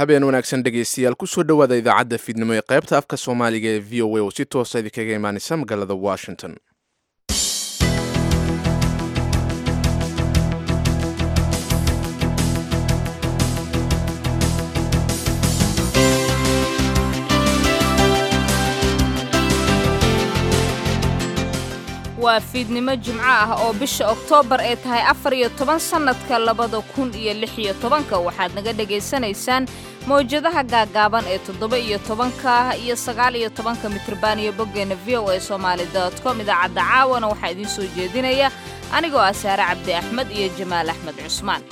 Habeen wanaagsan dhegaystayaal, kusoo dhowaada idaacadda fiidnimo ee qaybta afka Soomaaliga ee VOA oo si toosa idinkaga imaanaysa magaalada Washington. Waa fiidnimo Jimco ah oo bisha Oktoobar ay tahay 14 sannadka 2016. Waxaad naga dhegaysanaysaan mawjadaha gaagaaban ee 17-ka iyo 19-ka mitrban iyo boggeena voasomali.com. Idaacadda caawana waxaa idiin soo jeedinaya anigoo ah Saare Cabdi Axmed iyo Jamaal Axmed Cusmaan.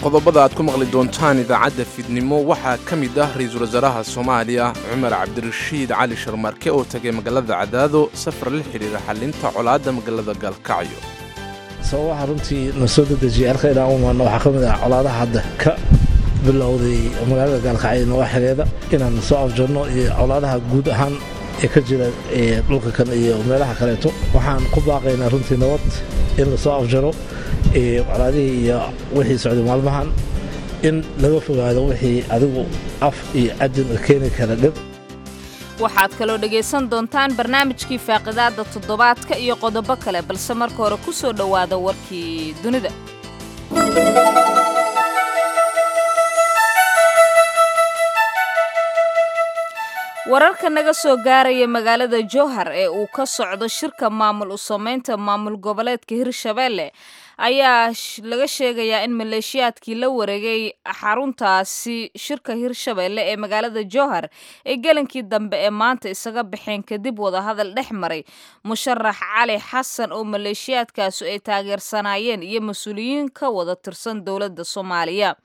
Qodobada aad ku maqli doontaan idaacadda fiidnimo waxaa ka mid ah ra-iisul wasaaraha Soomaaliya Cumar Cabdirashiid Cali Sharmaarke oo tagay magaalada Cadaado safar la xidhiira xallinta colaadda magaalada Gaalkacyo. Sababaha runtii na soo dedejiyay halka inaan u imaano waxaa ka mid ah colaadaha hadda ka bilowday magaalada Gaalkacyo nawaaxigeeda inaan soo afjarno iyo colaadaha guud ahaan ee ka jira dhulka kan iyo meelaha kaleeto. Waxaan ku baaqaynaa runtii nabad in la soo afjaro colaadihii iyo wixii socday maalmahan, in laga fogaado wixii adigu af iyo adin keeni kara dhib. Waxaad kaloo dhegaysan doontaan barnaamijkii faaqidaadda toddobaadka iyo qodobo kale, balse marka hore ku soo dhowaada warkii dunida. Wararka naga soo gaaraya magaalada Jowhar ee uu ka socdo shirka maamul u samaynta maamul goboleedka Hirshabelle ayaa laga sheegayaa in maleeshiyaadkii la wareegay xaruntaasi shirka Hirshabelle ee magaalada Jowhar ay gelinkii dambe ee maanta isaga baxeen kadib wadahadal dhex maray musharax Cali Xasan oo maleeshiyaadkaasu ay taageersanaayeen iyo mas-uuliyiin ka wada tirsan dowladda Soomaaliya.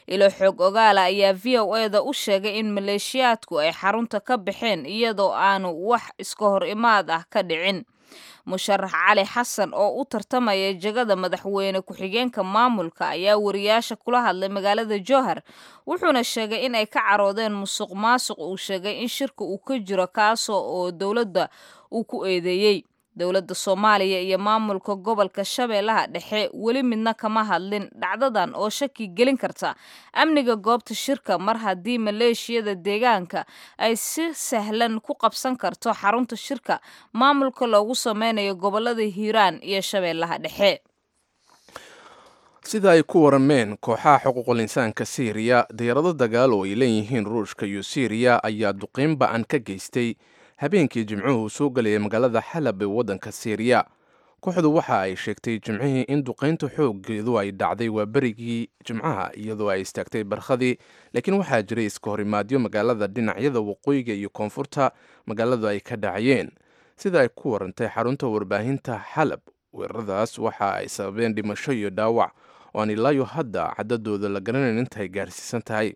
Ilo xoog ogaala ayaa VOA-da u sheegay in maleeshiyaadku ay xarunta ka baxeen iyadoo aanu wax iska hor imaad ah ka dhicin. Musharax Cali Xasan oo u tartamaya jagada madaxweyne ku-xigeenka maamulka ayaa wariyaasha kula hadlay magaalada Jowhar, wuxuuna sheegay in ay ka caroodeen musuq maasuq uu sheegay in shirka uu ka jiro, kaasoo oo dowladda uu ku eedeeyey. Dowladda Soomaaliya iyo maamulka gobolka Shabeellaha Dhexe weli midna kama hadlin dhacdadan oo shaki gelin karta amniga goobta shirka, mar haddii maleeshiyada deegaanka ay si sahlan ku qabsan karto xarunta shirka maamulka loogu sameynayo gobolada Hiiraan iyo Shabeellaha Dhexe. Sida ay ku warameen kooxaha xuquuqul insaanka Siiriya, diyaarado dagaal oo ay leeyihiin Ruushka iyo Siiriya ayaa duqiin ba-an ka geystay habeenkii Jimcuhu soo galayay magaalada Xalab ee waddanka Siiriya. Kooxdu waxa ay sheegtay Jimcihii in duqaynta xooggeedu ay dhacday waa berigii Jimcaha iyadoo ay istaagtay barkhadii, laakiin waxaa jiray iska horimaadyo magaalada dhinacyada waqooyiga iyo koonfurta magaaladu ay ka dhacayeen. Sida ay ku warantay xarunta warbaahinta Xalab, weeraradaas waxa ay sababeen dhimasho iyo dhaawac oo aan ilaayo hadda cadadooda la garanayn intaay gaarsiisan tahay.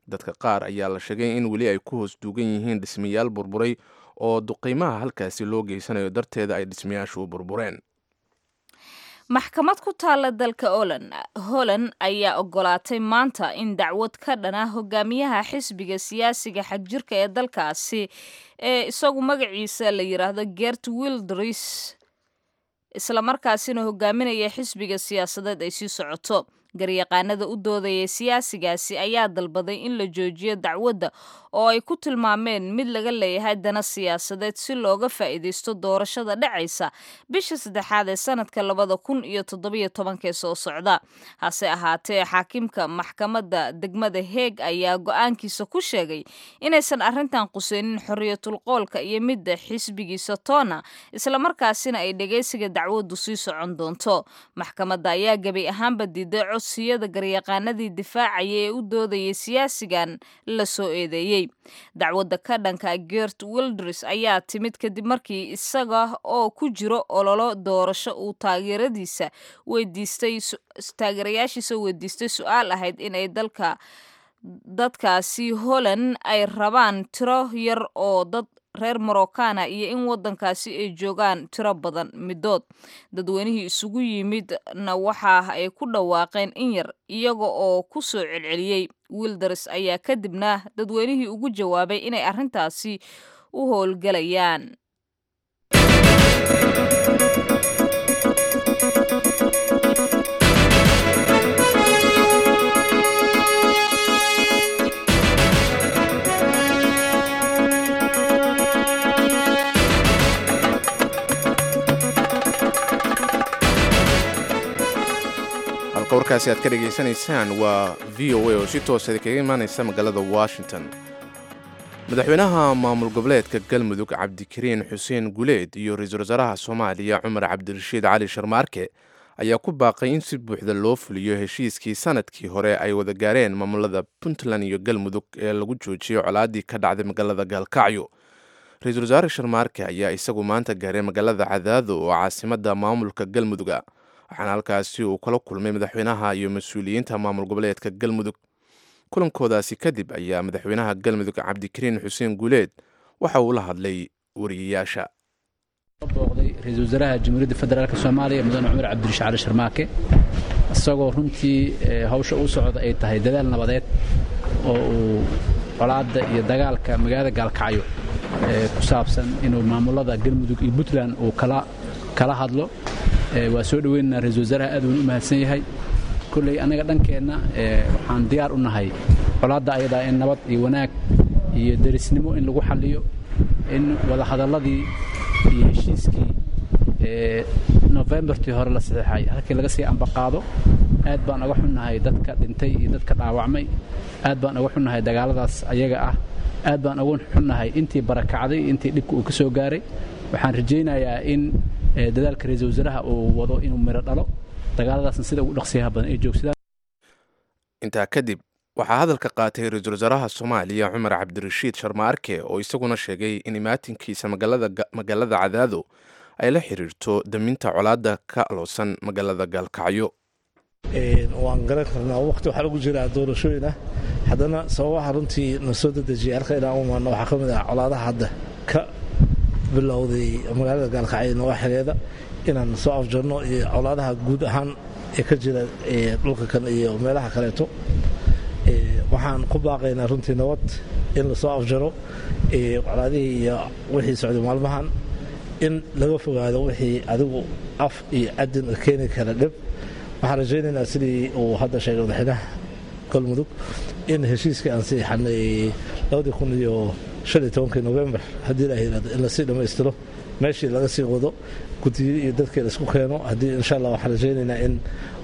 Dadka qaar ayaa la sheegay in weli ay ku hoos duugan yihiin dhismayaal burburay oo duqiimaha halkaasi loo geysanayo darteeda ay dhismayaashu u burbureen. Maxkamad ku taalla dalka Holland ayaa ogolaatay maanta in dacwad ka dhan ah hogaamiyaha xisbiga siyaasiga xagjirka ee dalkaasi ee isagu magaciisa la yiraahdo Gert Wilders, islamarkaasina hogaaminaya xisbiga siyaasadeed, ay sii socoto. Garyaqaanada u doodaya siyaasigaasi ayaa dalbaday in la joojiyo dacwadda oo ay ku tilmaameen mid laga leeyahay dana siyaasadeed si looga faa'iidaysto doorashada dhacaysa bisha saddexaad ee sanadka 2017-ka ee soo socda. Hase ahaatee, xaakimka maxkamadda degmada Heeg ayaa go-aankiisa ku sheegay inaysan arrintan quseynin xorriyatul qoolka iyo midda xisbigiisa toona, islamarkaasina ay dhegaysiga dacwaddu sii socon doonto. Maxkamadda ayaa gebi ahaanba diiday codsiyada garyaqaanadii difaacaya ee u doodayay siyaasigan la soo eedeeyey. Dacwadda ka dhanka Gert Wilders ayaa timid kadib markii isaga oo ku jiro ololo doorasho uu taageeradiisa weydiistay, taageerayaashiisa weydiistay su-aal ahayd in ay dalka dadkaasi Holland ay rabaan tiro yar oo dad reer Morocana iyo in wadankaasi ay joogaan tiro badan midood. Dadweynihii isugu yimidna waxa ay ku dhawaaqeen in yar iyaga oo ku soo celceliyey Wilders ayaa kadibna dadweynihii ugu jawaabay inay arrintaasi u howlgalayaan. Halka warkaasi aad ka dhegaysanaysaan waa VOA oo si toosa kaga imaanaysa magaalada Washington. Madaxweynaha maamul goboleedka Galmudug Cabdikariin Xuseen Guleed iyo ra-iisul wasaaraha Soomaaliya Cumar Cabdirashiid Cali Sharmaarke ayaa ku baaqay in si buuxda loo fuliyo heshiiskii sanadkii hore ay wada gaareen maamulada Puntland iyo Galmudug ee lagu joojiyey colaadii ka dhacday magaalada Gaalkacyo. Ra-iisul wasaare Sharmaarke ayaa isagu maanta gaaray magaalada Cadaado oo caasimada maamulka Galmuduga, waxaana halkaasi uu kala kulmay madaxweynaha iyo mas-uuliyiinta maamul goboleedka Galmudug. Kulankoodaasi kadib ayaa madaxweynaha Galmudug Cabdikariin Xuseen Guuleed waxa uu la hadlay wariyayaasha. Booqday ra-iisul wasaaraha Jamhuuriyadda Federaalk Soomaaliya mudane Cumar Cabdirashiid Cali Sharmaake, isagoo runtii hawsha u socda ay tahay dadaal nabadeed oo uu colaadda iyo dagaalka magaalada Gaalkacyo ku saabsan inuu maamulada Galmudug iyo Puntland uu kala hadlo. Waa soo dhoweynaynaa ra-iisul wasaaraha, aad uuna u mahadsan yahay. Kolley annaga dhankeenna waxaan diyaar u nahay colaadda ayadaa in nabad iyo wanaag iyo derisnimo in lagu xalliyo, in wadahadalladii iyo heshiiskii Nofembartii hore la saxeexay halkii laga sii ambaqaado. Aad baan uga xunnahay dadka dhintay iyo dadka dhaawacmay, aad baan uga xunnahay dagaalladaas ayaga ah, aad baan uga xunnahay intii barakacday, intii dhibka uu ka soo gaaray. Waxaan rajaynayaa in dadaalka ra-iisul wasaaraha uu wado inuu miro dhalo, dagaaladaasna sida ugu dhaqsiyaha badan ay joogsadaan. Intaa kadib waxaa hadalka qaatay ra-iisul wasaaraha Soomaaliya Cumar Cabdirashiid Sharmaarke oo isaguna sheegay in imaatinkiisa magaalada Cadaado ay la xiriirto daminta colaadda ka aloosan magaalada Gaalkacyo. Waan garan karnaa waqti waxaa lagu jiraa doorashooyin ah, haddana sababaha runtii na soo dedejiyay halka inaan u imaano waxaa ka mid ah colaadaha hadda ka bilowday magaalada Gaalkacyo nawaaxigeeda inaan soo afjarno iyo colaadaha guud ahaan ee ka jira dhulka kan iyo meelaha kaleeto. Waxaan ku baaqaynaa runtii nabad in lasoo afjaro colaadihii iyo wixii socday maalmahan, in laga fogaado wixii adigu af iyo adin keeni kara dhib. Waxaan rajaynaynaa sidii uu hadda sheegay madaxweynaha Galmudug in heshiiskii aan siixanay 2015-kii Novembar, haddii la yidhahdo, in lasii dhammaystiro, meeshii laga sii wado, guddiyada iyo dadkii laisku keeno. Haddii insha Allah waxaan rajaynaynaa in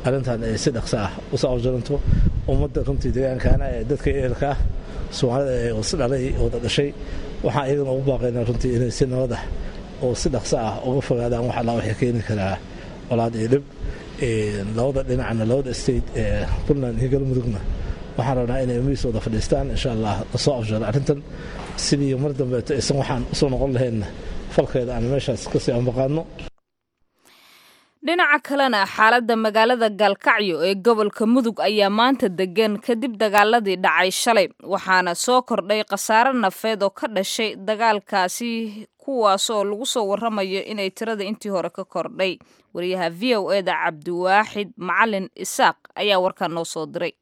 arrintan ay si dhaqso ah usoo afjaranto. Ummadda runtii deegaankaana ee dadka ehelka ah Soomaalida ee is dhalay wada dhashay waxaan iyagana ugu baaqaynaa runtii inay si nabad ah oo si dhaqso ah uga fogaadaan wax alla waxay keeni karaa colaad iyo dhib labada dhinacna. Labada state ee Puntland iyo Galmudugna waxaan rabnaa inay miis wada fadhiistaan, insha Allah lasoo afjaro arrintan, sidii mar dambeeto aysan waxaan usoo noqon lahaynna falkeeda aan meeshaas kasii ambaqaadno. Dhinaca kalena, xaaladda magaalada Gaalkacyo ee gobolka Mudug ayaa maanta degan kadib dagaaladii dhacay shalay, waxaana soo kordhay khasaare nafeed oo ka dhashay dagaalkaasi, kuwaas oo lagu soo waramayo inay tirada intii hore ka kordhay. Wariyaha VOA-da Cabdiwaaxid Macalin Isaaq ayaa warkan noo soo diray.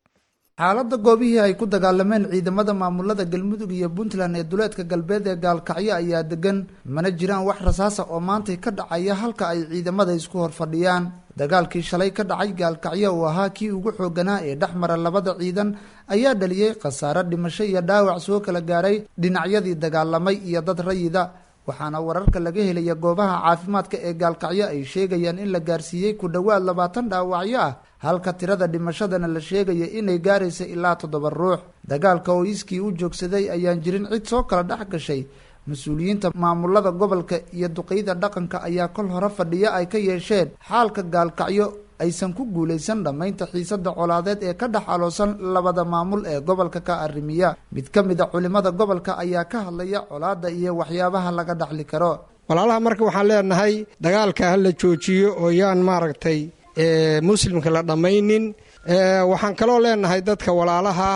Xaaladda goobihii ay ku dagaalameen ciidamada maamulada Galmudug iyo Puntland ee duleedka galbeed ee Gaalkacyo ayaa degan, mana jiraan wax rasaasa oo maantay ka dhacaya halka ay ciidamada isku hor fadhiyaan. Dagaalkii shalay ka dhacay Gaalkacyo oo ahaa kii ugu xooganaa ee dhex mara labada ciidan ayaa dhaliyey khasaare dhimasho iyo dhaawac soo kala gaaray dhinacyadii dagaalamay iyo dad rayida, waxaana wararka laga helaya goobaha caafimaadka ee Gaalkacyo ay sheegayaan in la gaarsiiyey ku dhowaad 20 dhaawacyo ah, halka tirada dhimashadana la sheegaya inay gaaraysa ilaa 7 ruux. Dagaalka oo iskii u joogsaday ayaan jirin cid soo kala dhex gashay. Mas-uuliyiinta maamulada gobolka iyo duqeyda dhaqanka ayaa kol hore fadhiyo ay ka yeesheen xaalka Gaalkacyo aysan ku guulaysan dhammaynta xiisada colaadeed ee ka dhex aloosan labada maamul ee gobolka ka arrimiya. Mid ka mid a culimada gobolka ayaa ka hadlaya colaadda iyo waxyaabaha laga dhaxli karo. Walaalaha, marka waxaan leenahay dagaalka ha la joojiyo oo yaan maaragtay muslimka la dhammaynin. Waxaan kaloo leenahay dadka walaalaha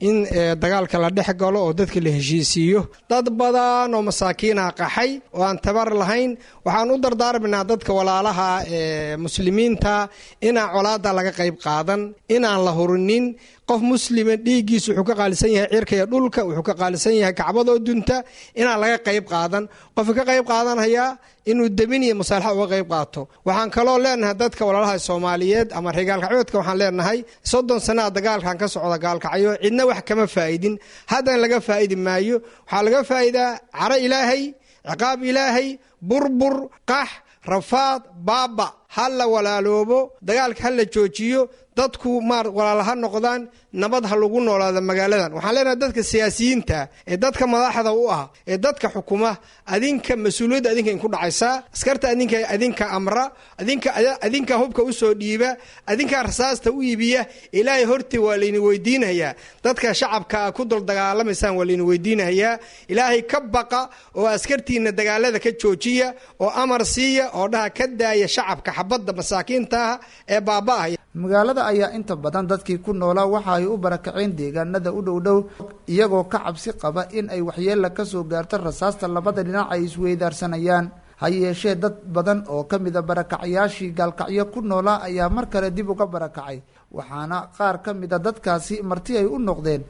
In dagaalka la dhex galo oo dadka la heshiisiiyo. Dad badan oo masaakiinah qaxay oo aan tabar lahayn. Waxaan u dardaarminaa dadka walaalaha ee muslimiinta inaan colaada laga qayb qaadan, inaan la hurinin. Qof muslima dhiiggiisa wuxuu ka qaalisan yahay cirka iyo dhulka, wuxuu ka qaalisan yahay kacbadoo dunta. Inaan laga qayb qaadan, qofka ka qayb qaadanhayaa inuu demin iyo musaalaxa uga qayb qaato. Waxaan kaloo leenahay dadka walaalaha Soomaaliyeed ama reer Gaalkacyoodka, waxaan leenahay 30 sanaa dagaalkan ka socda Gaalkacyo, cidna wax kama faa'idin, haddana laga faa'idi maayo. Waxaa laga faa'idaa caro Ilaahay, ciqaab Ilaahay, burbur, qax, rafaad, baaba. Ha la walaaloobo, dagaalka ha la joojiyo, dadku maar walaala ha noqdaan, nabad ha lagu noolaado magaaladan. Waxaan leenahay dadka siyaasiyiinta ee dadka madaxda u ah ee dadka xukuma, adinka mas-uuliyadda adinka inku dhacaysaa. Askarta adinka, adinka amra, adinka, adinka hubka usoo dhiiba, adinkaa rasaasta u iibiya. Ilaahay hortii waa layni weydiinayaa. Dadka shacabka ku dul dagaalamaysaan waa layni weydiinayaa. Ilaahay ka baqa oo askartiina dagaalada ka joojiya oo amar siiya oo dhaha ka daaya shacabka xabadda masaakiinta ah ee baaba'aya. Magaalada ayaa inta badan dadkii ku noolaa waxa ay u barakaceen deegaanada u dhow dhow, iyagoo ka cabsi qaba in ay waxyeela kasoo gaarto rasaasta labada dhinac ay isweydaarsanayaan. Ha yeeshee, dad badan oo ka mida barakacayaashii Gaalkacyo ku noolaa ayaa mar kale dib uga barakacay, waxaana qaar ka mida dadkaasi marti ay u noqdeen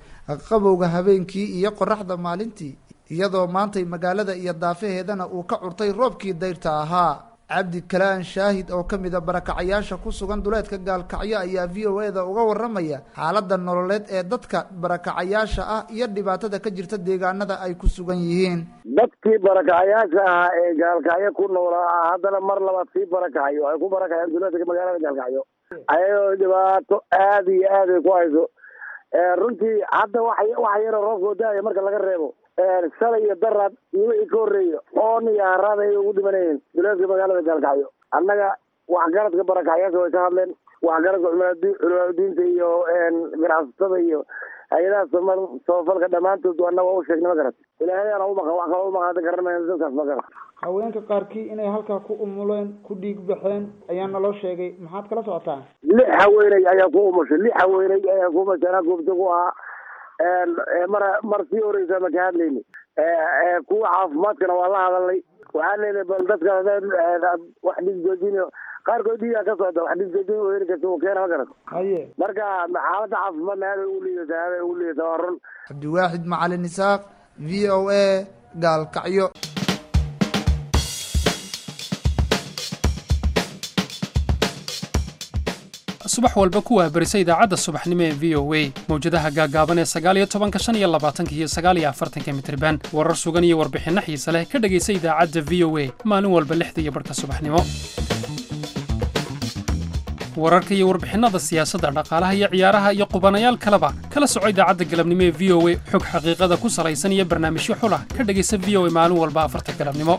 qabowga habeenkii iyo qoraxda maalintii, iyadoo maantay magaalada iyo daafaheedana uu ka curtay roobkii dayrta ahaa. Cabdikalaan Shaahid oo ka mida barakacayaasha ku sugan duleedka Gaalkacyo ayaa VOA-da uga waramaya xaaladda nololeed ee dadka barakacayaasha ah iyo dhibaatada ka jirta deegaanada ay ku sugan yihiin. Dadkii barakacayaasha ahaa ee Gaalkacyo ku noolaa haddana mar labaad sii barakacayo. Waxay ku barakaceen duleedka magaalada Gaalkacyo, ayadoo dhibaato aada iyo aad ay ku hayso. Runtii hadda wax yaroo roobkoo da-aya marka laga reebo, shalay iyo daraad iyo wixii ka horreeya oon iyo haraad ayay ugu dhimanayeen duleedka magaalada Gaalkacyo. Annaga waxgaradka barakacayaasha way ka hadleen, waxgaradka culimaadudiinta iyo ganacsatada iyo hay-adaha samafalka dhammaantood annaga waa u sheegnay. Ma garat? Ilaahay ana umaqan, wax kaloo umaqan hadda garan mayno dadkaas, ma garat? Haweenka qaarkii inay halkaa ku umuleen, ku dhiig baxeen ayaa naloo sheegay. Maxaad kala socotaa? Lix haweeney ayaa ku umushay, lix haweeney ayaa ku umushay. Anaa goobta ku ahaa mar sii horeysa ma ka hadlayni. Kuwa caafimaadkana waa la hadalnay. Waxaan leynay bal dadka wax dhiig joojinayo, qaarkood dhiigaa ka socda, wax dhiig joojin u heli karta uu keena, ma garat? Haye. Marka xaaladda caafimaadna aaday ugu liidataa, aaday ugu liidataa, waa run. Cabdiwaaxid Macalin Isaaq, VOA, Gaalkacyo. Subax walba ku wahbarisa idaacadda subaxnimo ee VOA mawjadaha gaagaaban ee 19-ka, 25-ka iyo 49-ka mitirban. Warar sugan iyo warbixinno xiise leh ka dhegaysa idaacadda VOA maalin walba 6:30 subaxnimo. Wararka iyo warbixinnada siyaasadda, dhaqaalaha iyo ciyaaraha iyo qubanayaal kaleba kala soco idaacadda galabnimo ee VOA. Xog xaqiiqada ku salaysan iyo barnaamijyo xulah ka dhegaysa VOA maalin walba 4-ta galabnimo.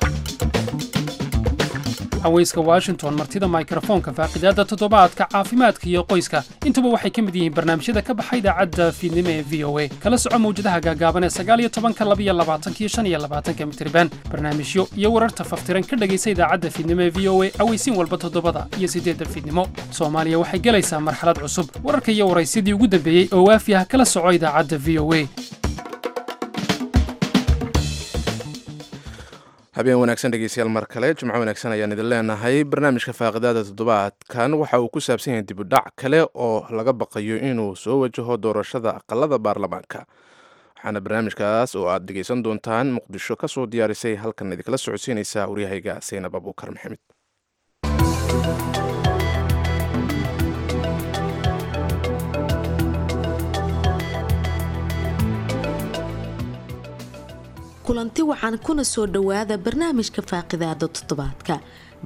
Haweyska Washington, martida mikrofoonka, faaqidaadda toddobaadka, caafimaadka iyo qoyska, intuba waxay ka mid yihiin barnaamijyada ka baxa idaacadda fiidnimo ee VOA. Kala soco mawjadaha gaagaaban ee 19-ka, 22-ka iyo 25-ka mitirban. Barnaamijyo iyo wararta faftiran ka dhegaysa idaacadda fiidnimo ee VOA aweysiin walba 7-da iyo 8-da fiidnimo. Soomaaliya waxay gelaysaa marxalad cusub. Wararka iyo waraysidii ugu dambeeyey oo waafi ah kala soco idaacadda VOA. Habeen wanaagsan dhegeystayaal, mar kale jimco wanaagsan ayaan idin leenahay. Barnaamijka faaqidaada toddobaadkan waxa uu ku saabsan yahay dibudhac kale oo laga baqayo inuu soo wajaho doorashada aqalada baarlamaanka, waxaana barnaamijkaas oo aad dhegeysan doontaan Muqdisho ka soo diyaarisay, halkan idinkala socodsiinaysa waryahayga Saynab Abuukar Maxamed. Kulanti waxaan kuna soo dhowaada barnaamijka faaqidaada toddobaadka.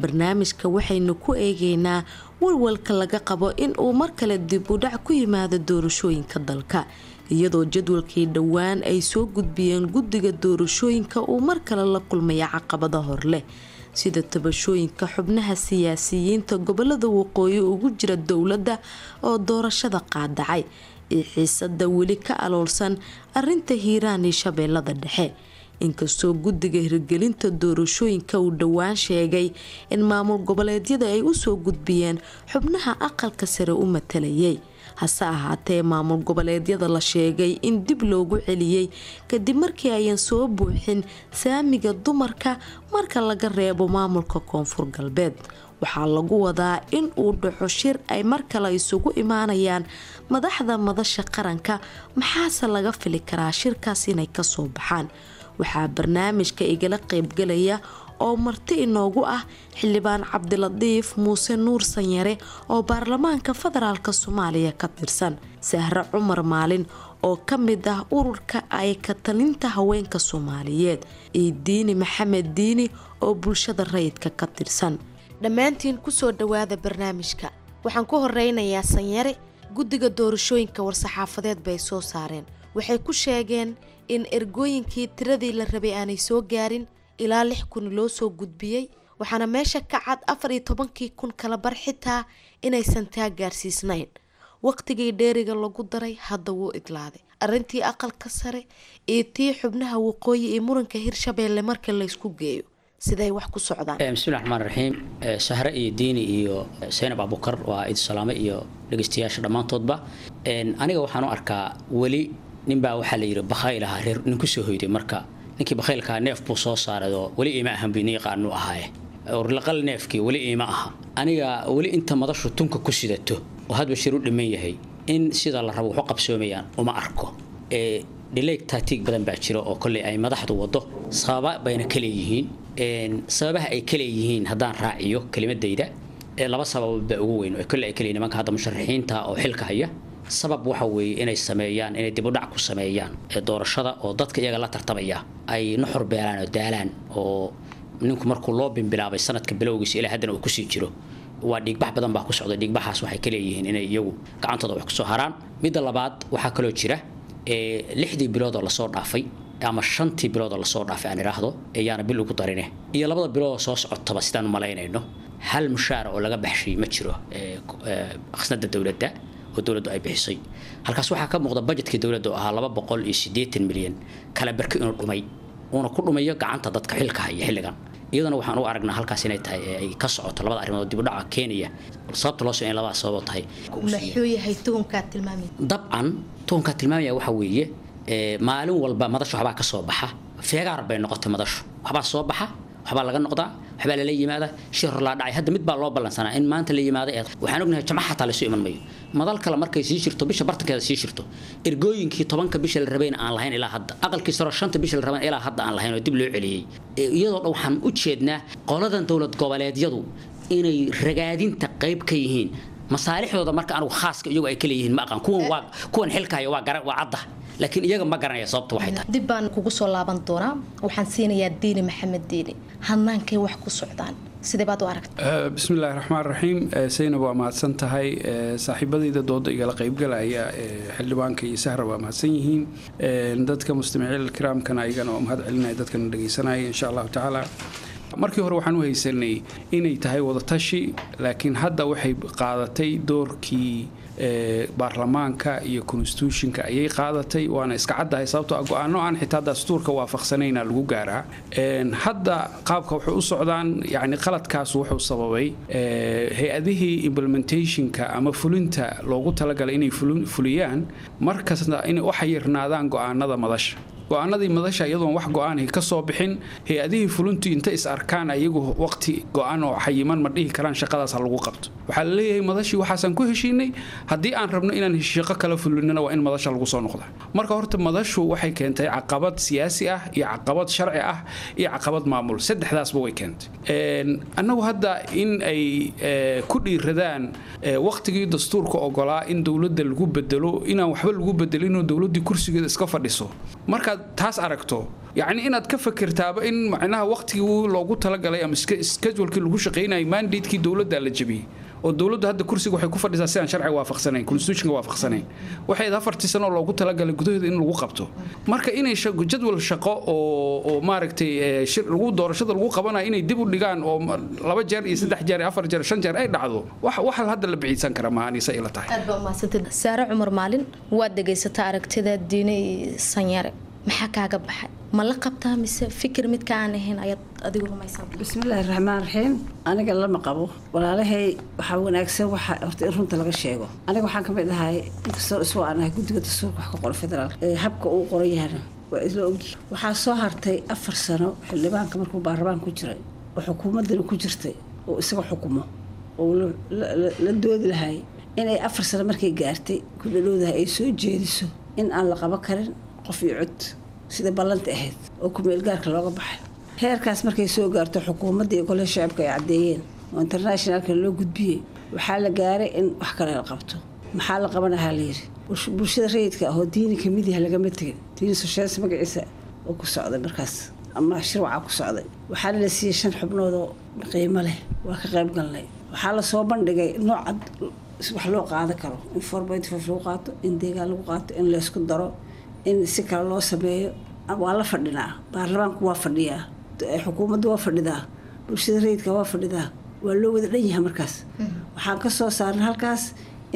Barnaamijka waxaynu ku eegeynaa walwalka laga qabo in uu mar kale dib u dhac ku yimaado doorashooyinka dalka, iyadoo jadwalkii dhowaan ay soo gudbiyeen guddiga doorashooyinka uu mar kale la kulmaya caqabada hor leh, sida tabashooyinka xubnaha siyaasiyiinta gobolada waqooyi ugu jira dowladda oo doorashada qaadacay, iyo xiisada weli ka aloolsan arinta Hiiraan iyo Shabeellada Dhexe. Inkastoo guddiga hirgelinta doorashooyinka uu dhowaan sheegay in maamul goboleedyada ay usoo gudbiyeen xubnaha aqalka sare u matalayay, Hase ahaatee, maamul goboleedyada la sheegay in dib loogu celiyey kadib markii ayan soo buuxin saamiga dumarka, marka laga reebo maamulka Koonfur Galbeed. Waxaa lagu wadaa in uu dhaco shir ay mar kale isugu imaanayaan madaxda madasha qaranka. Maxaase laga fili karaa shirkaas inay kasoo baxaan? Waxaa barnaamijka igala qeybgalaya oo marti inoogu ah Xildhibaan Cabdilatiif Muuse Nuur Sanyare oo baarlamaanka federaalk Soomaaliya ka tirsan, Sahre Cumar Maalin oo ka mid ah ururka ay ka talinta haweenka Soomaaliyeed, iyo Diini Maxamed Diini oo bulshada rayidka ka tirsan. Dhammaantiin kusoo dhawaada barnaamijka. Waxaan ku horeynayaa Sanyare. Guddiga doorashooyinka war-saxaafadeed bay soo saareen. Waxay ku sheegeen in ergooyinkii tiradii la rabay aanay soo gaarin, ilaa 6000 loo soo gudbiyey, waxaana meesha ka cad 14,000 kala bar xitaa inaysan taa gaarsiisnayn. Waqtigii dheeriga lagu daray hadda wuu idlaaday. Arrintii aqalka sare iyo tii xubnaha waqooyi iyo muranka Hirshabeelle marka laysku geeyo, siday wax ku socdaan? Bismillahi raxmaan raxiim. Sahre iyo Diini iyo Saynab Abukar, waa idi salaame iyo dhegeystayaasha dhammaantoodba. Aniga waxaan u arkaa weli ninbaa waxaa la yidhi bakhayl ahaa reer nin kusoo hoyday. Marka ninkii bakhaylkaa neef buu soo saarayoo weli iima ahan bi nin yaqaanuu ahaaye orlaqal neefkii weli iima aha. Aniga weli inta madashu tunka ku sidato oo hadba shir u dhiman yahay in sida la rabo waxu qabsoomayaan uma arko. Delay tactic badan baa jira oo kolley ay madaxdu wado, sababa bayna ka leeyihiin. Sababaha ay ka leeyihiin haddaan raaciyo kelimadayda, laba sababood baa ugu weyn oo kolley ay ka leeyihiin nimanka hadda musharaxiinta oo xilka haya. Sabab waxa weeye inay sameeyaan, inay dib u dhac ku sameeyaan doorashada oo dadka iyaga la tartamaya ay nuxur beelaan oo daalaan, oo ninku markuu loo bimbilaabay sanadka bilowgiisa ilaa haddana uu kusii jiro, waa dhiigbax badan baa ku socda. Dhiigbaxaas waxay ka leeyihiin inay iyagu gacantooda wax kusoo haraan. Midda labaad, waxaa kaloo jira 6dii bilood oo lasoo dhaafay ama 5tii bilood oo lasoo dhaafay aan idhaahdo, ayaana bil ugu darine, iyo 2da bilood oo soo socotaba, sidaan u malaynayno hal mushaara oo laga baxshay ma jiro khasnada dowladda oo dowladdu ay bixisay. Halkaas waxaa ka muuqda budgetkii dowladda oo ahaa 280 milyan kala barki inuu dhumay, uuna ku dhumayo gacanta dadka xilka haya xilligan. Iyadana waxaan u aragnaa halkaas inay tahay ay ka socoto labada arrimood dib u dhaca keenaya, sababta loo soo in labada sababoo tahay. Muxuu yahay tuhunkaad tilmaamay? Dabcan tuhunkaa tilmaamaya waxa weeye maalin walba madasha waxbaa ka soo baxa. Feegaar bay noqotay madashu. Waxbaa soo baxa, waxbaa laga noqdaa, waxbaa lala yimaada, shir hor laa dhacay. Hadda mid baa loo ballansanaa in maanta la yimaado. Ee waxaan ognahay jamca xataa laysu iman mayo. Madal kale markay sii jirto, bisha bartankeeda sii jirto, ergooyinkii 10ka bisha la rabayna aan lahayn ilaa hadda, aqalkii saro 5ta bisha la rabayna ilaa hadda aan lahayn oo dib loo celiyey. Iyadoo dhan waxaan u jeednaa qoladan dowlad goboleedyadu inay ragaadinta qayb ka yihiin masaalixdooda. Marka anigu khaaska iyagu ay ka leeyihiin ma aqaan. Kuwan waa kuwan xilka haya, waa gara, waa cadda, laakiin iyaga ma garanaya sababta waxay tahay. Dib baan kugu soo laaban doonaa. Waxaan siinayaa Diini Maxamed Diini. Hanaankay wax ku socdaan sidee baad u aragta? Bismi illaahi raxmaan raxiim. Saynab, waa mahadsan tahay. Saaxiibadayda dooda igala qaybgalaya, xildhibaanka iyo Sahra, waa mahadsan yihiin. Dadka mustamiciin kiraamkana ayagana waa mahad celinaya, dadkana dhegeysanaya. Insha Allahu tacaala, markii hore waxaan u haysanay inay tahay wadatashi, laakiin hadda waxay qaadatay doorkii baarlamaanka iyo constitutionka ayay qaadatay, waana iska caddahay sababtoo ah go-aano aan xitaa dastuurka waafaqsanayna lagu gaaraa. Hadda qaabka waxay u socdaan, yacni qaladkaas wuxuu sababay hay-adihii implementationka ama fulinta loogu talagalay inay fuliyaan markasta inay u xayirnaadaan go-aanada madasha. Go-aanadii madasha iyadoon wax go-aanay ka soo bixin, hay-adihii fulintu inta is arkaan ayagu waqti go-aan oo xayiman ma dhihi karaan shaqadaas ha lagu qabto. Waxaa la leeyahay madashii waxaasaan ku heshiinay, haddii aan rabno inaan shaqo kala fulinana waa in madasha lagu soo noqda. Marka horta madashu waxay keentay caqabad siyaasi ah iyo caqabad sharci ah iyo caqabad maamul, saddexdaasba way keentay. Annagu hadda in ay ku dhiiradaan waqtigii dastuurka ogolaa in dowladda lagu bedelo inaan waxba lagu bedelinoo dowladdii kursigeeda iska fadhiso, markaad taas aragto, yacni inaad ka fakirtaaba in macnaha waqtigii loogu talagalay ama schedulekii lagu shaqaynayay, mandatekii dowladda la jabiyey, oo dowladdu hadda kursiga waxay ku fadhisaa si aan sharciga waafaqsanayn, constitutionka waafaqsanayn. Waxay 4tii sano loogu talagalay gudaheeda in lagu qabto. Marka inay jadwal shaqo oo maaragtay shir lagu doorashada lagu qabanayo inay dib u dhigaan oo laba jeer iyo saddex jeer iyo afar jeer, shan jeer ay dhacdo, wax hadda la biciidsan kara maaha, anisa ila tahay. Aad baa umahadsantayd. Saare Cumar Maalin, waad dhegaysataa aragtida Diine Sanyare. Maxaa kaaga baxay? Ma la qabtaa mise fikir midka aan ahayn ayaad adigu rumaysan? Bismillaahi raxmaan raxiim. Aniga lama qabo walaalahay. Waxaa wanaagsan waxa horta in runta laga sheego. Aniga waxaan ka mid ahay, inkastoo isoo aan ahay guddiga dastuurka wax ka qora federaalka, habka uu qoran yahana waa isla ogyihi. Waxaa soo hartay 4 sano xildhibaanka markuu baarlamaan ku jiray oo xukuumaddana ku jirtay oo isaga xukumo oo la doodi lahay, inay 4 sano markay gaartay ku dhadhowdahay ay soo jeediso in aan la qaban karin qof iyo cod sida ballanta ahayd oo kumeel gaarka looga baxay. Heerkaas markay soo gaarto, xukuumadda iyo golaha shacabka ay caddeeyeen oo internationalka loo gudbiyey, waxaa la gaaray in wax kale la qabto. Maxaa la qabanahaa la yidhi? Bulshada rayidka ah oo Diini kamid yahay lagama tegin. Diini Soshees magaciisa oo ku socday markaas ama shirwacaa ku socday, waxaana la siiyey shan xubnood oo qiimo leh. Waa ka qayb galnay. Waxaa lasoo bandhigay noocad wax loo qaadan karo: in 4.5 lagu qaato, in deegaan lagu qaato, in laysku daro, in si kale loo sameeyo. Waa la fadhinaa, baarlamaanku waa fadhiyaa, xukuumaddu waa fadhidaa, bulshada rayidka waa fadhidaa, waa loo wada dhan yahay. Markaas waxaan ka soo saarnay halkaas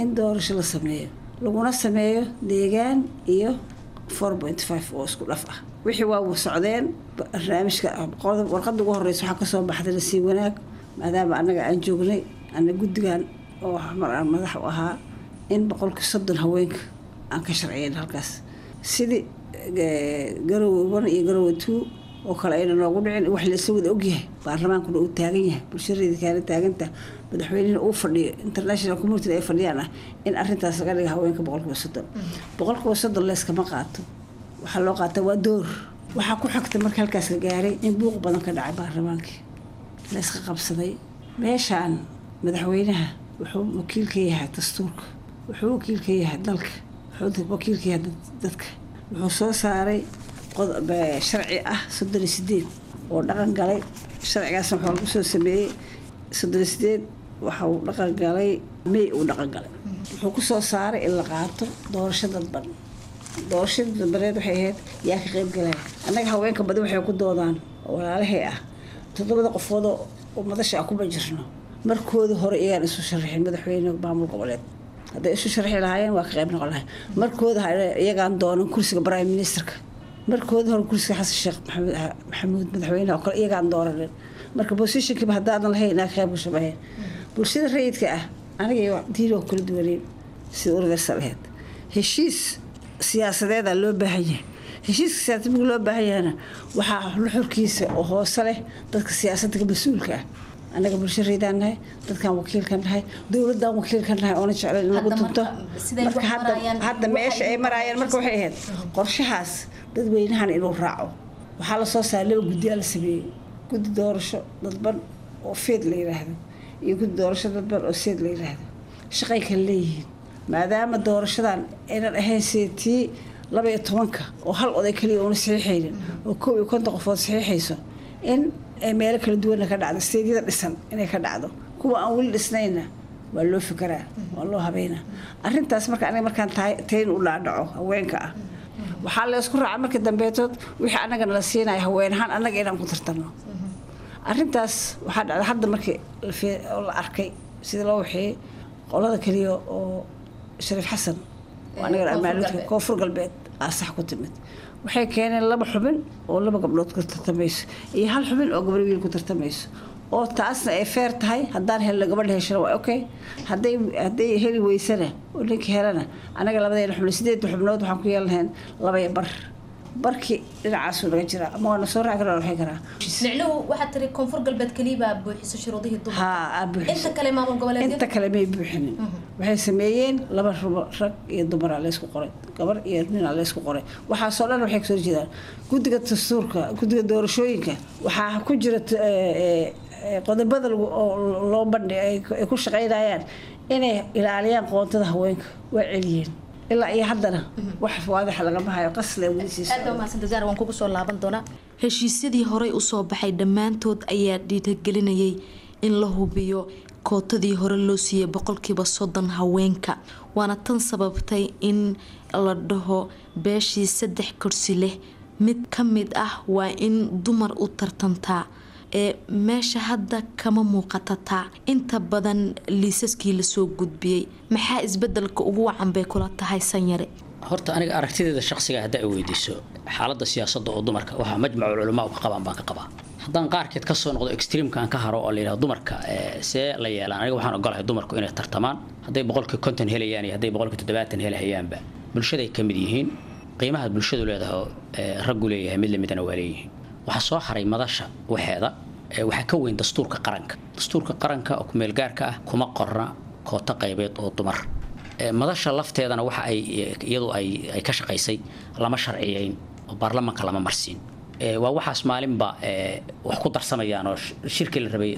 in doorasho la sameeyo, laguna sameeyo deegaan iyo 4.5 oo isku dhaf ah. Wixii waa socdeen. Barnaamijka warqadda ugu horeysa waxaa kasoo baxday nasiib wanaag, maadaama annaga aan joognay ana guddigan oo mar aan madax u ahaa, in 30% haweenka aan ka sharciyeyn halkaas, sidii Garowe 1 iyo Garowe 2 oo kale ayna noogu dhicin. Wax laisla wada ogyahay, baarlamaankuna uu taagan yahay, bulshada kaala taaganta, madaxweynihina uu fadhiyo, international community ay fadhiyaan ah, in arrintaas laga dhiga haweenka 30%. 30% leeskama qaato, waxaa loo qaataa waa door. Waxaa ku xigta marka halkaas la gaaray in buuq badan ka dhacay baarlamaankii, layska qabsaday. Meeshaan madaxweynaha wuxuu wakiil ka yahay dastuurka, wuxuu wakiil ka yahay dalka, wuxuu wakiil ka yahay dadka. Wuxuu soo saaray sharci ah 38 oo dhaqan galay. Sharcigaasna wuxuu lagu soo sameeyey 38, waxa uu dhaqan galay May uu dhaqan galay. Wuxuu ku soo saaray in la qaato doorasho dadban. Doorashada dadbaneed waxay ahayd yaa ka qayb galaya. Annaga haweenka badan waxay ku doodaan oo walaalahay ah, toddobada qofoodoo oo madasha ah kuma jirno. Markooda hore iyagaan isu sharaxin madaxweyne maamul goboleed. Hadday isu sharxi lahaayeen, waa ka qayb noqon lahay. Markooda iyagaan doonan kursiga prime ministerka. Markooda hore kursiga Xasan Sheekh Maxamed Maxamuud madaxweynaha oo kale iyagaan dooranin. Marka positionkiiba haddaadan lahayn, inaa ka qayb gasho mahayn. Bulshada rayidka ah aniga iyo Diin oo kala duwaneyn sida universal ahayd. Heshiis siyaasadeeda loo baahan yahay. Heshiiska siyaasadeed marka loo baahan yahayna, waxaa nuxurkiisa oo hoose leh dadka siyaasadda ka mas-uulka ah. Annaga bulsho rayidaan nahay, dadkaan wakiilka nahay, dowladdan wakiilka nahay, oona jeclayn in lagu tunto. Marka hadda meesha ay maraayaan, marka waxay ahayd qorshahaas dadweynahan inuu raaco. Waxaa lasoo saaray laba guddiyaa la sameeyey: guddi doorasho dadban oo FEIT la yiraahdo iyo guddi doorasho dadban oo SEIT la yiraahdo. Shaqay kala leeyihiin, maadaama doorashadan aynan ahayn sida tii 12-ka oo hal oday kaliya uuna saxiixaynin oo 51 qofood saxiixayso, in ay meelo kala duwanna ka dhacdo, stateyada dhisan inay ka dhacdo, kuwa aan weli dhisnayna waa loo fikiraa, waa loo habeynaa arrintaas. Marka aniga markaan tayn u dhaadhaco haweenka ah, waxaa la isku raacay markii dambeetood wixii annagana la siinaya haween ahaan annaga inaan ku tartanno arrintaas. Waxaa dhacday hadda markii la arkay sida loo waxeeyey, qolada keliya oo Shariif Xasan oo anagana amaaluudka Koonfur Galbeed aa sax ku timid. Waxay keeneen laba xubin oo laba gabdhood ku tartamayso iyo hal xubin oo gabar wiil ku tartamayso, oo taasna ay fair tahay. Haddaan helno, gabadha heshana waa okay, hadday heli weysana oo ninka helana, anaga labadeena xubno, sideedda xubnood, waxaan ku yeelan lahayn laba iyo bar. Barkii dhinacaasuu naga jiraa ama waa na soo raaci karaa, waa waxay karaa. Micnuhu waxaad tiri Koonfur Galbeed keliya baa buuxiso shuruudihii dumarka. Haa, aa buuxiso. Inta kale maamul goboleedyada Inta kale may buuxinin. Waxay sameeyeen laba rubo, rag iyo dumaraa laysku qoray, gabar iyo ninaa laysku qoray. Waxaasoo dhan waxay kasoo jeedaan guddiga dastuurka, guddiga doorashooyinka. Waxaa ku jira qodobada oo loo bandhi ay ku shaqaynayaan inay ilaaliyaan qoontada haweenka. Waa celiyeen, ilaa iyo haddana wax waadaxa lagama hayo, qasle weli sii Aad baa umahadsantay Zahra, waan kugu soo laaban doonaa. Heshiisyadii horey usoo baxay dhammaantood ayaa dhiirigelinayay in la hubiyo kootadii hore loo siiyey 30% haweenka, waana tan sababtay in la dhaho beeshii saddex kursi leh mid ka mid ah waa in dumar u tartantaa. Ee meesha hadda kama muuqatataa inta badan liisaskii lasoo gudbiyey. Maxaa isbedelka ugu wacan bay kula tahay, Sanyare? Horta aniga aragtideeda shakhsiga haddaa i weydiiso, xaaladda siyaasadda oo dumarka waxaa Majmacul Culamaa u ka qabaan baan ka qabaa. Haddaan qaarkeed ka soo noqdo, extreme-ka aan ka haro oo la yidhahdo dumarka see la yeelaan, aniga waxaan ogolahay dumarku inay tartamaan. Hadday 50% helayaan iyo hadday 70% helahayaanba, bulshaday ka mid yihiin. Qiimaha bulshadu leedahay oo raggu leeyahay mid lamidana waa leeyihiin. Waxaa soo haray madasha waxeeda, waxaa ka weyn dastuurka qaranka. Dastuurka qaranka oo kumeel gaarka ah kuma qorna koota qaybeed oo dumar. Madasha lafteedana waxa ay iyadu ay ka shaqaysay lama sharciyeyn oo baarlamaanka lama marsiin. Waa waxaas maalinba wax ku darsamayaan oo shirkii la rabay,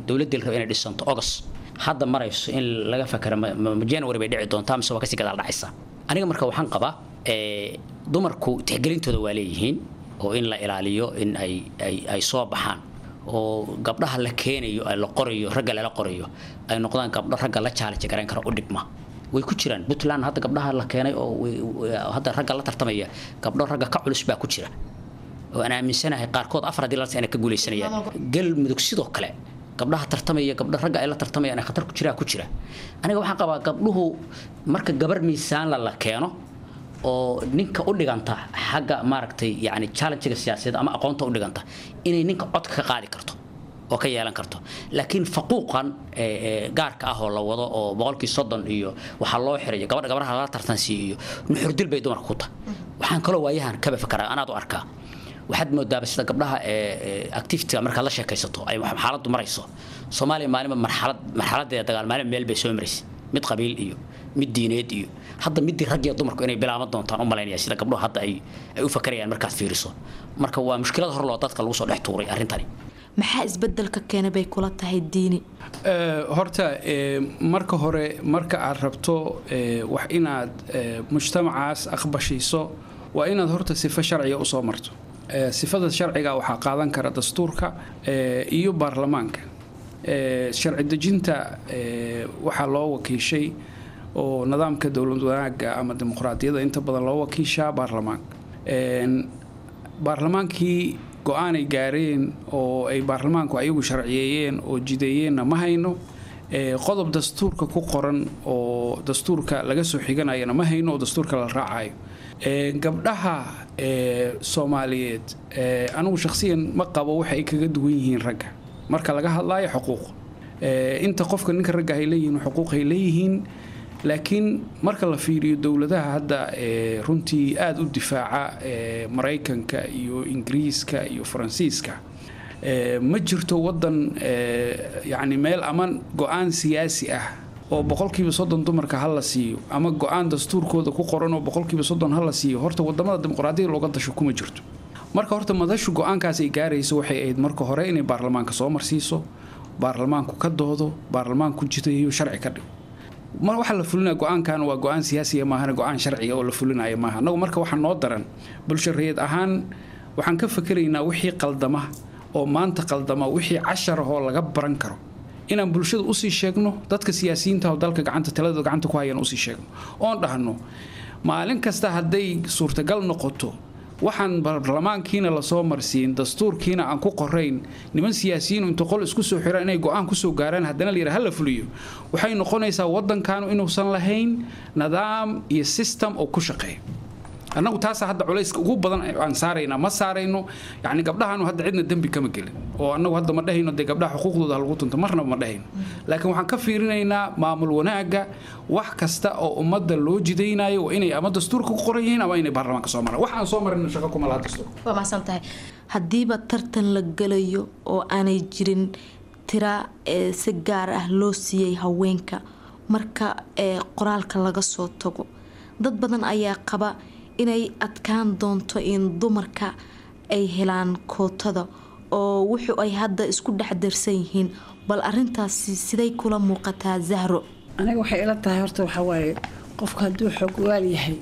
dowladdii la rabay inay dhisanto August, hadda marayso in laga fakero ma January bay dhici doontaa mise waa kasii gadaal dhacaysa. Aniga marka waxaan qabaa dumarku tixgelintooda waa leeyihiin oo in la ilaaliyo, in ay soo baxaan oo gabdhaha la keenayo, ay la qorayo, ragga lala qorayo ay noqdaan gabdho ragga la challenge garayn kara, u dhigma. Way ku jiraan Puntland hadda gabdhaha la keenay oo hadda ragga la tartamaya, gabdho ragga ka culus baa ku jira oo aan aaminsanahay qaarkood afar haddii la inay ka guuleysanayaan. Galmudug sidoo kale gabdhaha tartamaya, gabdho ragga ay la tartamayaan ay khatar ku jiraa ku jira. Aniga waxaan qabaa gabdhuhu marka gabar miisaan la keeno oo ninka u dhiganta xagga maaragtay yacni challenge-ga siyaasadeed ama aqoonta u dhiganta, inay ninka codka ka qaadi karto oo ka yeelan karto. Laakiin faquuqan gaarka ah oo la wado oo 30% iyo waxaa loo xirayo gabadha gabdhaha lala tartansiiyo iyo nuxurdil bay dumarka ku tahay. Waxaan kaloo waayahan kaba fakaraa anaad u arkaa, waxaad moodaaba sida gabdhaha activity markaad la sheekaysato ay xaaladdu marayso Soomaaliya, maalinba marxalad, marxaladeeda dagaal maalin meel bay soo maraysay, mid qabiil iyo mid diineed iyo hadda midii rag iyo dumarku inay bilaaban doontaan u malaynaya sida gabdhuhu hadda ay u fakarayaan markaad fiiriso. Marka waa mushkilad hor loo dadka lagu soo dhex tuuray arrintani. Maxaa isbedelka keena bay kula tahay, Diini? Horta marka hore, marka aad rabto wax inaad mujtamacaas aqbashiiso, waa inaad horta sifo sharciga usoo marto. Sifada sharciga waxaa qaadan kara dastuurka iyo baarlamaanka. Sharci dejinta waxaa loo wakiishay oo nidaamka dowlad wanaagga ama dimuqraadiyadda inta badan loo wakiishaa baarlamaanka. Baarlamaankii go-aanay gaareen oo ay baarlamaanku ayagu sharciyeeyeen oo jideeyeenna ma hayno. Qodob dastuurka ku qoran oo dastuurka laga soo xiganayana ma hayno oo dastuurka la raacayo. Gabdhaha Soomaaliyeed, anigu shakhsiyan ma qabo waxa ay kaga duwan yihiin ragga marka laga hadlayo xuquuq. Inta qofka ninka ragga ay leeyihiin xuquuq ay leeyihiin, laakiin marka la fiiriyo dowladaha hadda runtii aada u difaaca, Maraykanka iyo Ingiriiska iyo Faransiiska, ma jirto wadan yacni meel ama go-aan siyaasi ah oo 30% dumarka ha la siiyo ama go-aan dastuurkooda ku qoran oo 30% ha la siiyo. Horta wadamada dimuqraadiyada looga dasho kuma jirto. Marka horta madashu go-aankaas ay gaarayso waxay ahayd marka hore inay baarlamaanka soo marsiiso, baarlamaanku ka doodo, baarlamaanku jidayo, sharci ka dhigo. Mar waxaa la fulinaya go-aankan waa go-aan siyaasiya maahana go-aan sharciga oo la fulinayo maaha. Annagu marka waxaa noo daran bulsho rayid ahaan waxaan ka fakeraynaa wixii qaldama oo maanta qaldama, wixii cashar ahoo laga baran karo inaan bulshada usii sheegno, dadka siyaasiyiinta oo dalka gacanta taladooda gacanta ku hayaan usii sheegno oon dhahno maalin kasta hadday suurtagal noqoto waxaan baarlamaankiina lasoo marsiin, dastuurkiina aan ku qorayn, niman siyaasiyiin inta qol isku soo xiraan inay go-aan kusoo gaaraan, haddana la yidhaha hala fuliyo, waxay noqonaysaa waddankaanu inuusan lahayn nidaam iyo system oo ku shaqeeyo. Annagu taasa hadda culayska ugu badan aan saaraynaa. Ma saarayno yacni gabdhahanu hadda cidna dembi kama gelin oo annagu hadda ma dhahayno dee gabdhaha xuquuqdooda ha lagu tunto, marnaba ma dhahayno, laakiin waxaan ka fiirinaynaa maamul wanaagga. Wax kasta oo ummadda loo jidaynayo waa inay ama dastuurka ku qoran yihiin ama inay baarlamaanka soo maraan. Wax aan soo marin shaqo kuma laha dastuurka. Waa mahadsan tahay. Haddiiba tartan la galayo oo aanay jirin tira si gaar ah loo siiyey haweenka, marka qoraalka laga soo tago, dad badan ayaa qaba inay adkaan doonto in dumarka ay helaan kootada oo wuxuu ay hadda isku dhex darsan yihiin. Bal arintaasi siday kula muuqataa, Zahro? Aniga waxay ila tahay horta waxaa waaye qofka hadduu xogwaal yahay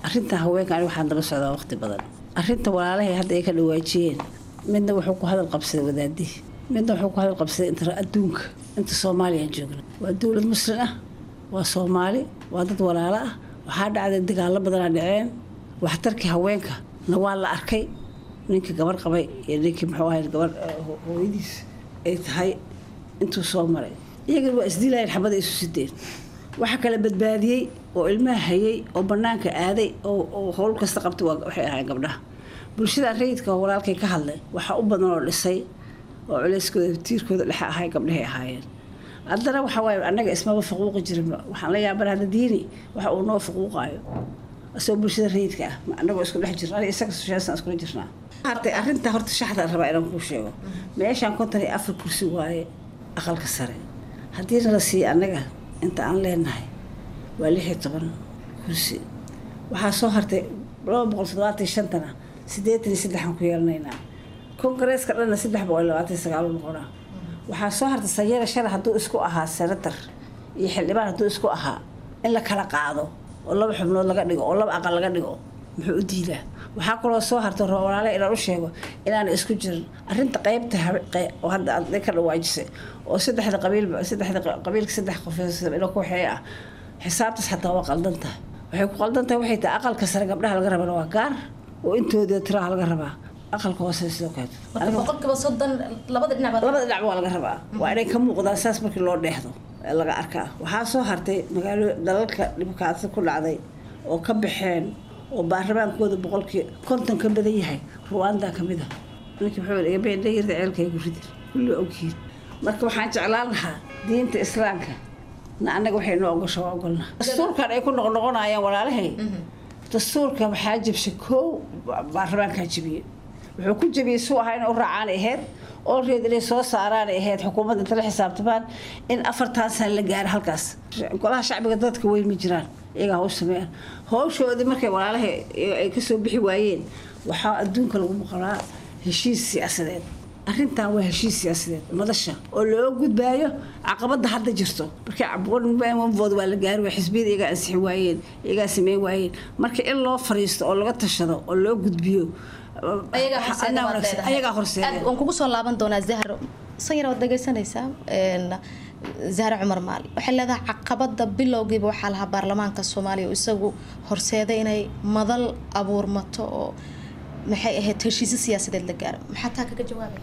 arrinta haweenka, aniga waxaan daba socdaa waqti badan arrinta walaalahay hadda ay ka dhawaajiyeen. Midna wuxuu ku hadal qabsaday wadaadihii, midna wuxuu ku hadal qabsaday inta adduunka. Inta Soomaaliyaan joogna waa dowlad muslim ah, waa Soomaali, waa dad walaalo ah. Waxaa dhacday dagaallo badanaa dhaceen, waxtarkii haweenka na waa la arkay, ninkii gabar qabay iyo ninkii muxuu ahay gabar hooyadiis ay tahay intuu soo maray, iyagana waa isdilayeen, xabada isu sideen. Waxa kala badbaadiyey Oo ilmaha hayay oo banaanka aaday oo howl kasta qabtay waxay ahaayeen gabdhaha. Bulshada rayidka oo walaalkay ka hadlay waxaa u badan oo dhisay oo culeyskooda tiirkooda dhexe ahay gabdhahay ahaayeen. Haddana waxa waaye annaga ismaba faquuqi jirinba. Waxaan la yaabana hadda Diini waxa uu noo faquuqaayo asagoo bulshada rayidka ah, annagoo isku dhex jirna, aniga isaga soshaasaan iskula jirnaa. Hartay arrinta horta shaxda rabaa inaan kuu sheego. Meeshaan 54 kursi waaye aqalka sare. Haddiina la siiya annaga inta aan leenahay waa 16 kursi. Waxaa soo hartay 275-tana 83-aan ku yeelanaynaa. Kongareeska dhanna 329 noqonaa. Waxaa soo hartay sanyara shalay hadduu isku ahaa senatar iyo xildhibaan hadduu isku ahaa in la kala qaado oo laba xubnood laga dhigo oo laba aqal laga dhigo, muxuu u diidaa? Waxaa kaloo soo hartay raba walaale inaan u sheego inaan isku jirin arrinta qaybta oo hadda aad ka dhawaajisay oo saddexda qabiilba, saddexda qabiilka saddex qof inuu ku waxeeya ah. Xisaabtaas xataa waa qaldan tahay. Waxay ku qaldan tahay waxay tahay aqalka sare gabdhaha laga rabana waa gaar oo intooda tiraha laga rabaa, aqalka hoose sidoo kale. 30% labada dhinac. Labada dhinac waa laga rabaa, waa inay ka muuqdaan saas markii loo dheexdo laga arkaa. Waxaa soo hartay magaalo dalalka dhibkaasa ku dhacday oo ka baxeen oo baarlamaankooda 50% ka badan yahay, Ruwanda ka mid ah. Ninkii wuxuu iga been dhayirta ceelka igu ridi kulli ogyihiin. Marka waxaan jeclaan lahaa diinta islaamka na annaga waxay noo ogosho waa ogolna. Dastuurkan ay ku noqnoqonayaan walaalahay, dastuurka waxaa jabshay kow baarlamaankaa jabiyey. Wuxuu ku jabiyey suu ahaa inay u raacaan ahayd oo reed inay soo saaraan ahayd xukuumadda inta la xisaabtamaan in 4-tan san la gaaro halkaas. Golaha shacbiga dadka weyn ma jiraan, iyagaa hawsh sameeyaan hawshoodii. Markay walaalahay ay kasoo bixi waayeen waxaa adduunka lagu maqlaa heshiis siyaasadeed. Arrintan waa heshiis siyaasadeed madasha oo loo gudbaayo caqabada hadda jirto. Markii vote waa la gaari waay, xisbiyada iyagaa ansixi waayeen, iyagaa sameyn waayeen. Marka in loo fariisto oo laga tashado oo loo gudbiyo ayagaa horseeda. Waan kugu soo laaban doonaa Zahro. Sanyar, waad dhegeysanaysaa Zahro Cumar Maali. Waxay leedahay caqabada bilowgiiba waxaa lahaa baarlamaanka Soomaaliya oo isagu horseeday inay madal abuurmato oo maxay ahayd heshiisyo siyaasadeed la gaaro. Maxaa taa kaga jawaabaya?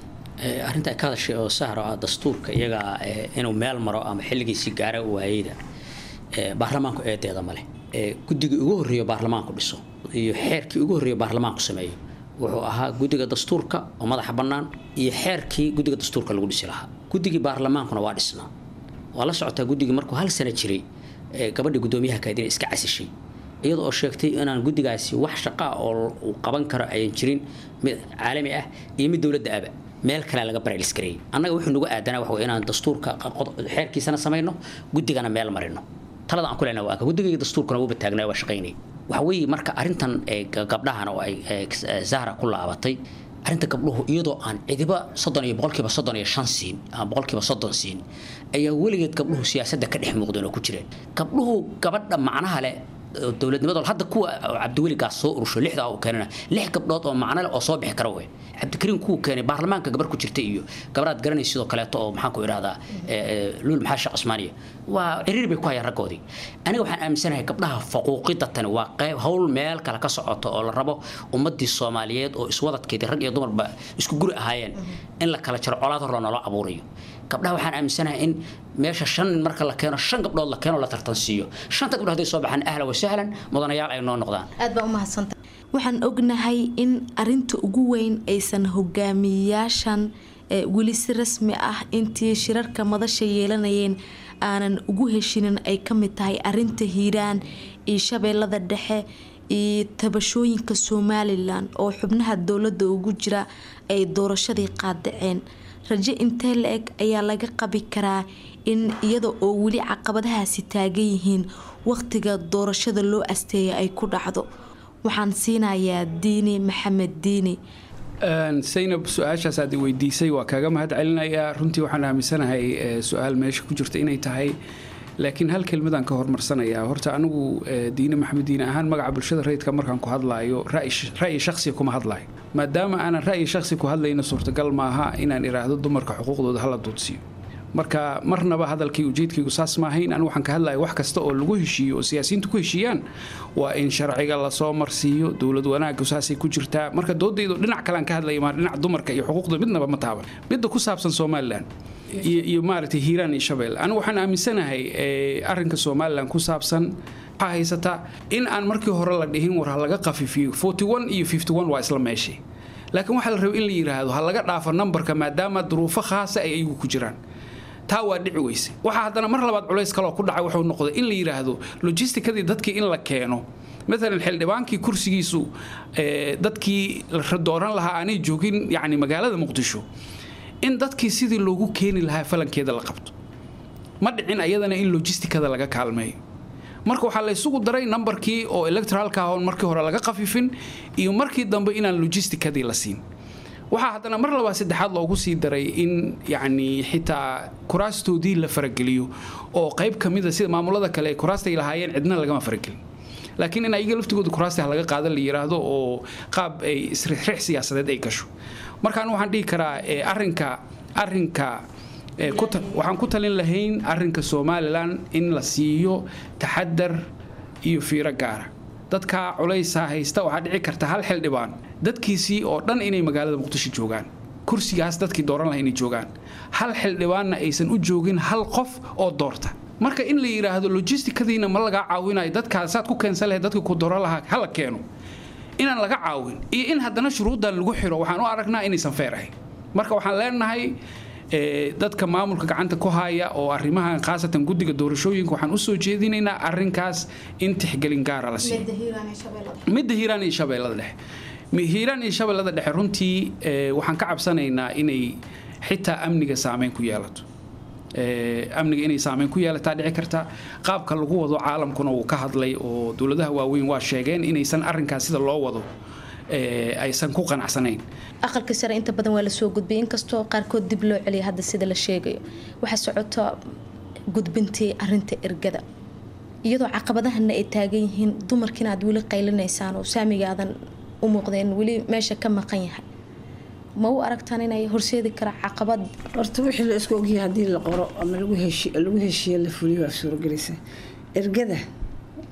Arrinta ay ka hadashay oo Sahro ah dastuurka iyaga inuu meel maro ama xilligiisii gaara waayeyda, baarlamaanku eedeeda male. Guddigii ugu horreeyo baarlamaanku dhiso iyo xeerkii ugu horreeyo baarlamaanku sameeyo wuxuu ahaa guddiga dastuurka oo madaxa bannaan iyo xeerkii guddiga dastuurka lagu dhisi lahaa. Guddigii baarlamaankuna waa dhisnaa, waa la socotaa. Guddigii markuu hal sano jiray gabadhii guddoomiyaha kayd inay iska casishay iyada oo sheegtay inaan guddigaasi wax shaqa oo uu qaban karo ayan jirin, mid caalami ah iyo mid dowladda aba meel kale laga baraalis gareeyay. Annaga wuxuu nagu aadanaa waxa wey inaan dastuurka xeerkiisana samayno, guddigana meel marino. Talada aan ku leenahay waa guddiga dastuurkuna wuuba taagnaa, waa shaqaynay. Waxa weeye marka arrintan gabdhahan oo ay Zahra ku laabatay, arrinta gabdhuhu iyadoo aan cidiba 30 iyo 35% siin ama 30% siin ayaa weligeed gabdhuhu siyaasadda ka dhex muuqdeen oo ku jireen. Gabdhuhu gabadha macnaha leh dowladnimada hadda kuwa Cabdiweligaas soo urusho lixdaa uu keenana lix gabdhood oo macno leh oo soo bixi kara wey. Cabdikariim kuwu keenay baarlamaanka gabar ku jirta iyo gabaraad garanaysa sidoo kaleeto oo maxaan ku idhahdaa Luul maxaa Sheekh Cusmaaniya waa ciriir bay ku hayaan raggoodii. Aniga waxaan aaminsanahay gabdhaha faquuqida tani waa qayb hawl meel kale ka socoto oo la rabo ummadii Soomaaliyeed oo iswadadkeedii rag iyo dumarba isku guri ahaayeen in la kala jaro, colaad hor loola abuurayo. Gabdhaha waxaan aaminsanahay in meesha shan nin marka la keeno shan gabdhood la keeno, la tartansiiyo. Shanta gabdhood hadday soo baxaan, ahlan wa sahlan, mudanayaal ay noo noqdaan. Aad baa u mahadsanta. Waxaan ognahay in arinta ugu weyn aysan hogaamiyayaashan weli si rasmi ah intii shirarka madasha yeelanayeen aanan ugu heshinin ay ka mid tahay arinta Hiiraan iyo Shabeellada Dhexe iyo tabashooyinka Somalilan oo xubnaha dowladda ugu jira ay doorashadii qaadaceen. Rajo intee la eg ayaa laga qabi karaa in iyada oo weli caqabadahaasi taagan yihiin waqtiga doorashada loo asteeyay ay ku dhacdo? Waxaan siinayaa Diini Maxamed Diini. Saynab, su-aashaas aad i weydiisay waa kaaga mahad celinayaa. Runtii waxaan aaminsanahay su-aal meesha ku jirta inay tahay, laakiin hal kelmadaan ka hormarsanayaa horta. Anigu Diine Maxamed Diine ahaan magaca bulshada rayidka markaan ku hadlaayo ra'yi shakhsiga kuma hadlaayo. Maadaama aanan ra'yi shakhsi ku hadlayno, suurtagal maaha inaan idhaahdo dumarka xuquuqdooda hala duudsiiyo. Marka marnaba hadalkii ujeedkaygu saas maahayn. Anigu waxaan ka hadlaya wax kasta oo lagu heshiiyo oo siyaasiyiintu ku heshiiyaan waa in sharciga lasoo marsiiyo. Dowlad wanaaggu saasay ku jirtaa. Marka doodaydu dhinac kalean ka hadlaya, maa dhinac dumarka iyo xuquuqda midnaba ma taaban. Midda ku saabsan Somalilan iyo maaragtay Hiiraan iyo Shabeelle, anigu waxaan aaminsanahay arrinka Somalilan ku saabsan Waxaa haysataa in aan markii hore la dhihin war ha laga qafifiyo. 41 iyo 51 waa isla meeshii, laakiin waxaa la rabay in la yidhaahdo ha laga dhaafo nambarka maadaama duruufo khaasa ay iyagu ku jiraan. Taa waa dhici weyse. Waxaa haddana mar labaad culays kaloo ku dhacay wuxuu noqday in la yidhaahdo logisticadii dadkii in la keeno, maalan xildhibaankii kursigiisu dadkii la dooran lahaa aanay joogin, yacni magaalada Muqdisho, in dadkii sidii loogu keeni lahaa falankeeda la qabto. Ma dhicin ayadana in logisticada laga kaalmeeyo. Marka waxaa la isugu daray nambarkii oo electoralka ah oon markii hore laga khafifin iyo markii dambe inaan logisticadii la siin. Waxaa haddana mar labaad saddexaad loogu sii daray in yacni xitaa kuraastoodii la farageliyo oo qayb ka mida sida maamulada kale ee kuraastay lahaayeen cidna lagama faragelin, laakiin in ayaga laftigooda kuraasta ha laga qaada la yiraahdo oo qaab ay isrixrix siyaasadeed ay gasho. Markaan waxaan dhihi karaa arrinka waxaan ku talin lahayn arrinka Somaliland in la siiyo taxadar iyo fiiro gaara. Dadka culaysaa haysta, waxaa dhici karta hal xildhibaan dadkiisii oo dhan inay magaalada Muqdisho joogaan, kursigaas dadkii dooran lahaa inay joogaan, hal xildhibaanna aysan u joogin hal qof oo doorta. Marka in la yidhaahdo logisticadiina ma lagaa caawinayo, dadkaas saad ku keensan lahayd dadka ku dooran lahaa hala keeno, inaan laga caawin iyo in haddana shuruuddan lagu xiro, waxaan u aragnaa inaysan fair ahayn. Marka waxaan leenahay dadka maamulka gacanta ku haya oo arrimahan, khaasatan guddiga doorashooyinka, waxaan usoo jeedinaynaa arrinkaas in tixgelin gaara la siiyo. Midda Hiiraan iyo Shabeellada Dhexe, Hiiraan iyo Shabeellada Dhexe runtii waxaan ka cabsanaynaa inay xitaa amniga saameyn ku yeelato. Amniga inay saameyn ku yeelataa dhici karta. Qaabka lagu wado caalamkuna wuu ka hadlay oo dowladaha waaweyn waa sheegeen inaysan arrinkaas sida loo wado aysan ku qanacsanayn. Aqalka sare inta badan waa lasoo gudbiyay, inkastoo qaarkood dib loo celiyay. Hadda sida la sheegayo waxaa socota gudbintii arinta ergada, iyadoo caqabadahana ay taagan yihiin, dumarkiina aad weli qaylinaysaan oo saamigaadan u muuqdeen weli meesha ka maqan yahay. Ma u aragtaan inay horseedi kara caqabad? Horta wixii la isku ogyahay haddii la qoro ama lagu heshiiyo la fuliyo waa suuragelaysa. Ergada